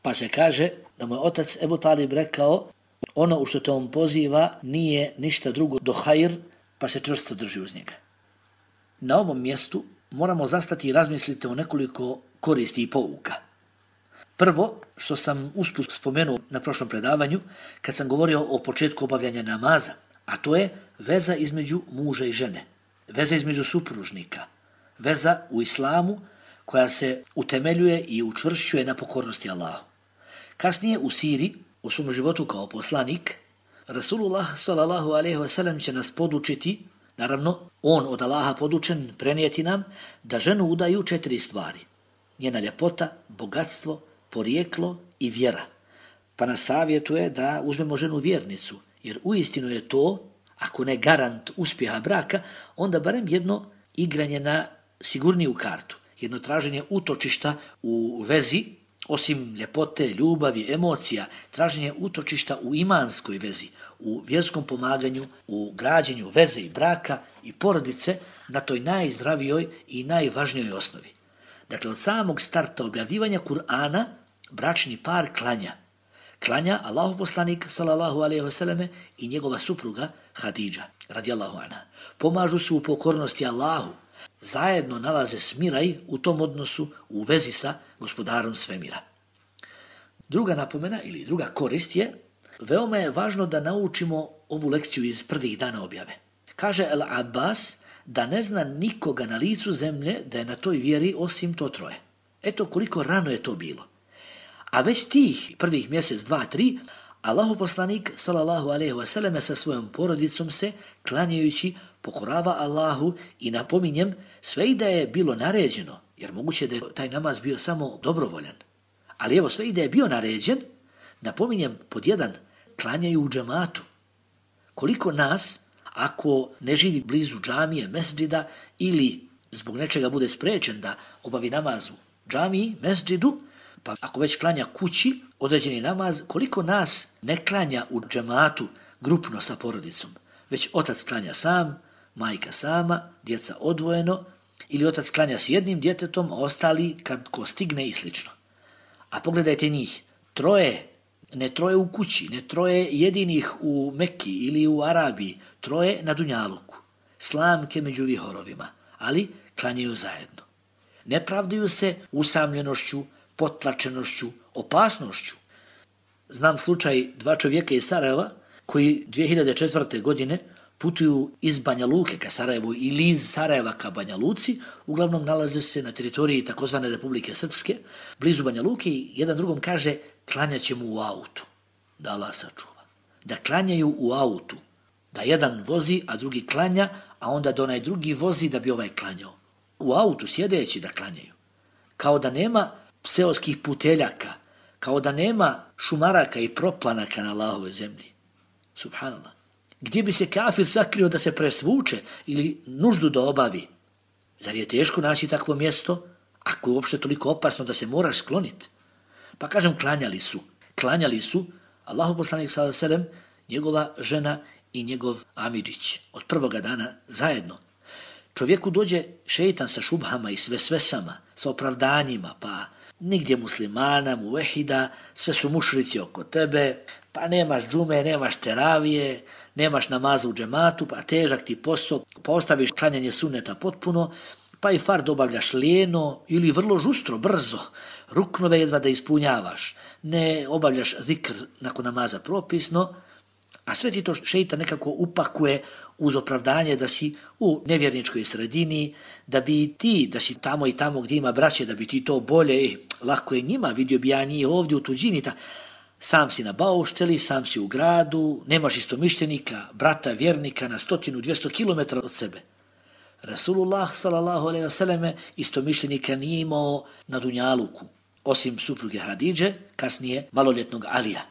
Pa se kaže da mu je otac Ebu Talib rekao, ono u što te on poziva nije ništa drugo do hajr, pa se čvrsto drži uz njega. Na ovom mjestu moramo zastati i razmisliti o nekoliko koristi i pouka. Prvo, što sam usput spomenuo na prošlom predavanju, kad sam govorio o početku obavljanja namaza, a to je veza između muža i žene, veza između supružnika, veza u islamu koja se utemeljuje i učvršćuje na pokornosti Allahu. Kasnije u siri, u svom životu kao poslanik, Rasulullah sallallahu alejhi ve sellem će nas podučiti, naravno, on od Allaha podučen, prenijeti nam da ženu udaju 4 stvari. Njena ljepota, bogatstvo, porijeklo i vjera. Pa nas savjetuje da uzmemo ženu vjernicu, jer uistinu je to, ako ne garant uspjeha braka, onda barem jedno igranje na sigurniju kartu, jedno traženje utočišta u vezi, osim ljepote, ljubavi, emocija, traženje utočišta u imanskoj vezi, u vjerskom pomaganju, u građenju veze i braka i porodice na toj najzdravijoj i najvažnijoj osnovi. Dakle, od samog starta objavljivanja Kur'ana, bračni par klanja. Klanja Allahov poslanik, sallallahu alejhi ve selleme, i njegova supruga Hadidža, radijallahu anha. Pomažu se u pokornosti Allahu, zajedno nalaze smiraj u tom odnosu u vezi sa gospodarom svemira. Druga napomena ili druga korist je, veoma je važno da naučimo ovu lekciju iz prvih dana objave. Kaže Al-Abbas da ne zna nikoga na licu zemlje da je na toj vjeri osim to troje. Eto koliko rano je to bilo. A već tih prvih mjesec, 2, 3, Allahu poslanik sallallahu alejhi ve selleme sa svojom porodicom se klanjajući pokorava Allahu i napominjem sve i da je bilo naređeno, jer moguće da je taj namaz bio samo dobrovoljan. Ali evo sve i da je bio naređen, napominjem pod jedan, klanjaju u džematu. Koliko nas, ako ne živi blizu džamije, mesdžida ili zbog nečega bude sprečen da obavi namaz u džamiji, mesdžidu, pa ako već klanja kući određeni namaz, koliko nas ne klanja u džematu grupno sa porodicom, već otac klanja sam, majka sama, djeca odvojeno, ili otac klanja s jednim djetetom, a ostali kad ko stigne i slično. A pogledajte njih, ne troje u kući, ne troje jedinih u Mekki ili u Arabiji, troje na Dunjaluku, slamke među vihorovima, ali klanjaju zajedno. Ne pravdaju se usamljenošću, potlačenošću, opasnošću. Znam slučaj dva čovjeka iz Sarajeva koji 2004. godine putuju iz Banja Luke ka Sarajevu ili iz Sarajeva ka Banja Luci, uglavnom nalaze se na teritoriji takozvane Republike Srpske, blizu Banja Luke i jedan drugom kaže klanjaćemo u autu, da Allah sačuva. Da klanjaju u autu, da jedan vozi, a drugi klanja, a onda da onaj drugi vozi da bi ovaj klanjao. U autu sjedeći da klanjaju. Kao da nema seoskih puteljaka, kao da nema šumaraka i proplanaka na Allahovoj zemlji. Subhanallah. Gdje bi se kafir sakrio da se presvuče ili nuždu da obavi? Zar je teško naći takvo mjesto, ako je uopšte toliko opasno da se moraš skloniti? Pa kažem, klanjali su Allahu poslanik sallallahu alejhi ve sellem, njegova žena i njegov amidžić od prvoga dana zajedno. Čovjeku dođe šejtan sa šubhama i svesama, sa opravdanjima, pa nigdje muslimana, muvehida, sve su mušrici oko tebe, pa nemaš džume, nemaš teravije, nemaš namaza u džematu, pa težak ti posao, pa ostaviš klanjanje sunneta potpuno, pa i fard obavljaš lijeno ili vrlo žustro, brzo, ruknove jedva da ispunjavaš, ne obavljaš zikr nakon namaza propisno, a sve ti to šejtan nekako upakuje uz opravdanje da si u nevjerničkoj sredini, da bi ti, da si tamo i tamo gdje ima braće, da bi ti to bolje, lako je njima, vidio bi ja njih ovdje u tuđini, sam si na baušteli, sam si u gradu, nemaš istomišljenika, brata, vjernika na 100-200 km od sebe. Rasulullah sallallahu alejhi ve selleme istomišljenika nije imao na Dunjaluku, osim supruge Hadidže, kasnije maloljetnog Alija,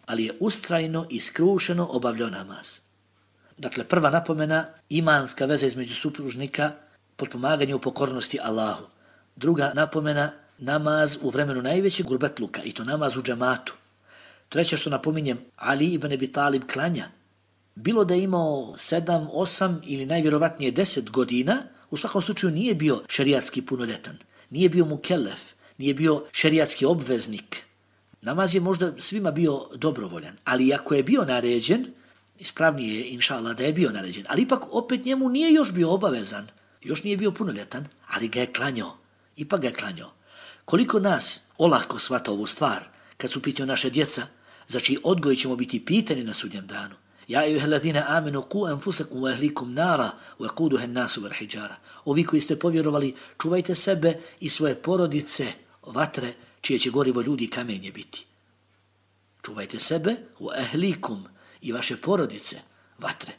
ali je ustrajno i skrušeno obavljao namaz. Dakle, prva napomena, imanska veza između supružnika, potpomaganje u pokornosti Allahu. Druga napomena, namaz u vremenu najvećeg gurbetluka, i to namaz u džematu. Treće što napominjem, Ali ibn Abi Talib klanja. Bilo da je imao 7, 8 ili najvjerovatnije 10 godina, u svakom slučaju nije bio šerijatski punoljetan, nije bio mukellef, nije bio šerijatski obveznik. Namaz je možda svima bio dobrovoljan, ali ako je bio naređen, ispravnije je, inšallah, da je bio naređen, ali ipak opet njemu nije još bio obavezan, još nije bio punoljetan, ali ga je klanjao, ipak ga je klanjao. Koliko nas olako shvata ovu stvar, kad su pitaju naše djeca, za čiji odgoj ćemo biti pitani na sudnjem danu. Ja ejuhellazina amenu qu anfusakum wa ahlikum nara wa quduha an-nasu wal hijara. Ovi koji ste povjerovali, čuvajte sebe i svoje porodice vatre, čije će gorivo ljudi i kamenje biti. Čuvajte sebe wa ahlikum i vaše porodice vatre.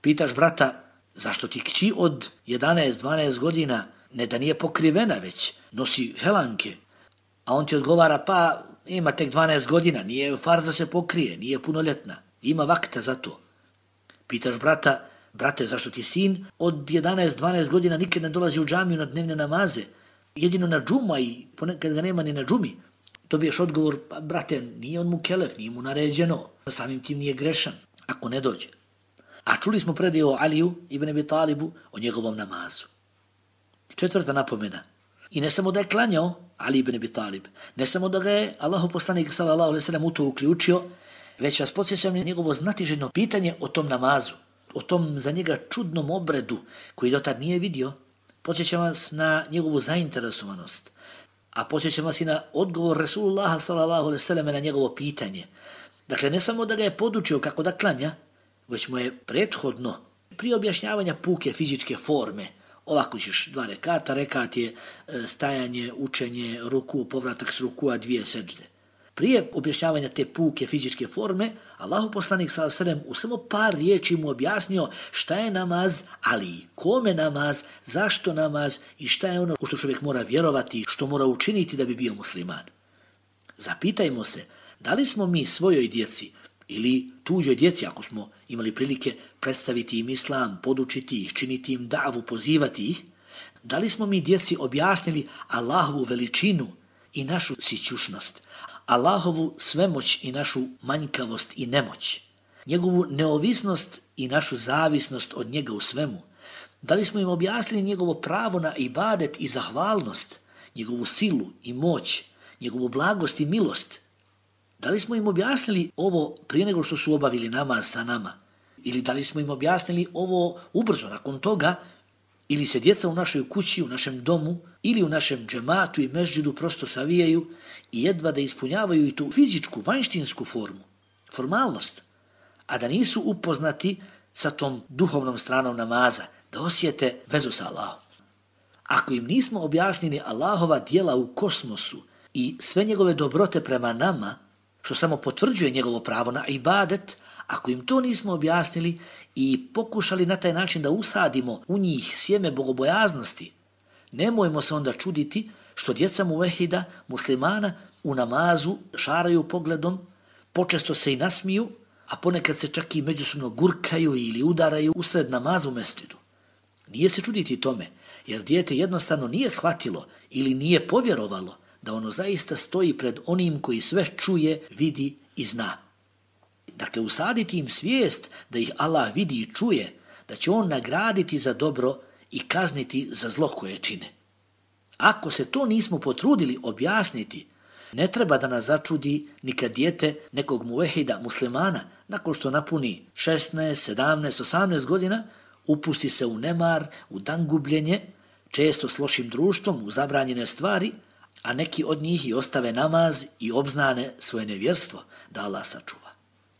Pitaš brata, zašto ti kći od 11-12 godina ne da nije pokrivena već, nosi helanke, a on ti odgovara, pa ima tek 12 godina, nije farz da se pokrije, nije punoljetna, ima vakta za to. Pitaš brata, brate, zašto ti sin od 11-12 godina nikad ne dolazi u džamiju na dnevne namaze, jedino na džuma i ponekad ga nema ni na džumi? Dobiješ odgovor, pa brate, nije on mukelef, nije mu naređeno, samim tim nije grešan, ako ne dođe. A čuli smo predaju o Aliju ibn Abi Talibu, o njegovom namazu. Četvrta napomena. I ne samo da je klanjao Ali ibn Abi Talib, ne samo da ga je Allahu poslanik sallallahu alejhi ve sellem u to uključio, već vas podsjećam na njegovo znatiželjno pitanje o tom namazu, o tom za njega čudnom obredu koji dotad nije vidio. Podsjećam vas na njegovu zainteresovanost, a podsjećam vas i na odgovor Resulullaha sallallahu alejhi ve sellem na njegovo pitanje. Dakle, ne samo da ga je podučio kako da klanja, već mu je prethodno, prije objašnjavanja puke fizičke forme, ovako ćeš 2 rekata, rekat je stajanje, učenje, ruku, povratak s rukua, 2 seđde. Prije objašnjavanja te puke fizičke forme, Allahu poslanik sallallahu alejhi ve sellem u samo par riječi mu objasnio šta je namaz, ali kome namaz, zašto namaz i šta je ono u što čovjek mora vjerovati, što mora učiniti da bi bio musliman. Zapitajmo se, da li smo mi svojoj djeci ili tuđoj djeci, ako smo imali prilike predstaviti im islam, podučiti ih, činiti im davu, pozivati ih, da li smo mi djeci objasnili Allahovu veličinu i našu sićušnost, Allahovu svemoć i našu manjkavost i nemoć, njegovu neovisnost i našu zavisnost od njega u svemu? Da li smo im objasnili njegovo pravo na ibadet i zahvalnost, njegovu silu i moć, njegovu blagost i milost? Da li smo im objasnili ovo prije nego što su obavili namaz sa nama? Ili da li smo im objasnili ovo ubrzo nakon toga? Ili se djeca u našoj kući, u našem domu ili u našem džematu i mesdžidu prosto savijaju i jedva da ispunjavaju i tu fizičku, vanjštinsku formu, formalnost, a da nisu upoznati sa tom duhovnom stranom namaza, da osjete vezu sa Allahom. Ako im nismo objasnili Allahova djela u kosmosu i sve njegove dobrote prema nama, što samo potvrđuje njegovo pravo na ibadet, ako im to nismo objasnili i pokušali na taj način da usadimo u njih sjeme bogobojaznosti, nemojmo se onda čuditi što djeca muvehida, muslimana, u namazu šaraju pogledom, počesto se i nasmiju, a ponekad se čak i međusobno gurkaju ili udaraju usred namaza u mesdžidu. Nije se čuditi tome, jer dijete jednostavno nije shvatilo ili nije povjerovalo da ono zaista stoji pred onim koji sve čuje, vidi i zna. Dakle, usaditi im svijest da ih Allah vidi i čuje, da će on nagraditi za dobro i kazniti za zlo koje čine. Ako se to nismo potrudili objasniti, ne treba da nas začudi ni kad dijete nekog muvehida muslimana, nakon što napuni 16, 17, 18 godina, upusti se u nemar, u dangubljenje, često s lošim društvom, u zabranjene stvari, a neki od njih i ostave namaz i obznane svoje nevjerstvo da Allah sačuva.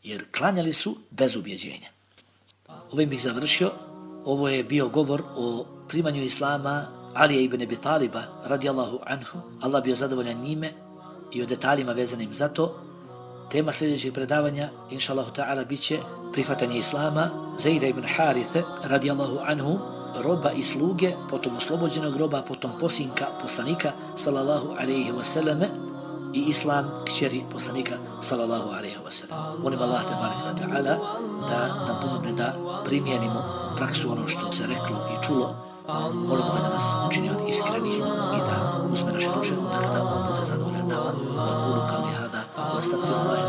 Jer klanjali su bez ubjeđenja. Ovim bih završio. Ovo je bio govor o primanju islama Alija ibn Abi Taliba radijallahu anhu. Allah bio zadovoljan njime i o detaljima vezanim za to. Tema sljedećeg predavanja, inša Allahu ta'ala, bit će prihvatanje islama Zejda ibn Harithe radijallahu anhu, roba i sluge, potom oslobođenog roba, potom posinka poslanika sallallahu alaihi wasallame, i islam kćeri poslanika sallallahu alaihi wasallam. Molim Allah tabaraka wa ta'ala da nam pomogne da primijenimo u praksu ono što se reklo i čulo. Molim ga da nas učini od iskrenih i da uzme naše duše onda kada on bude zadovoljan nama. Wa aqulu qawli hada wa astaghfirullah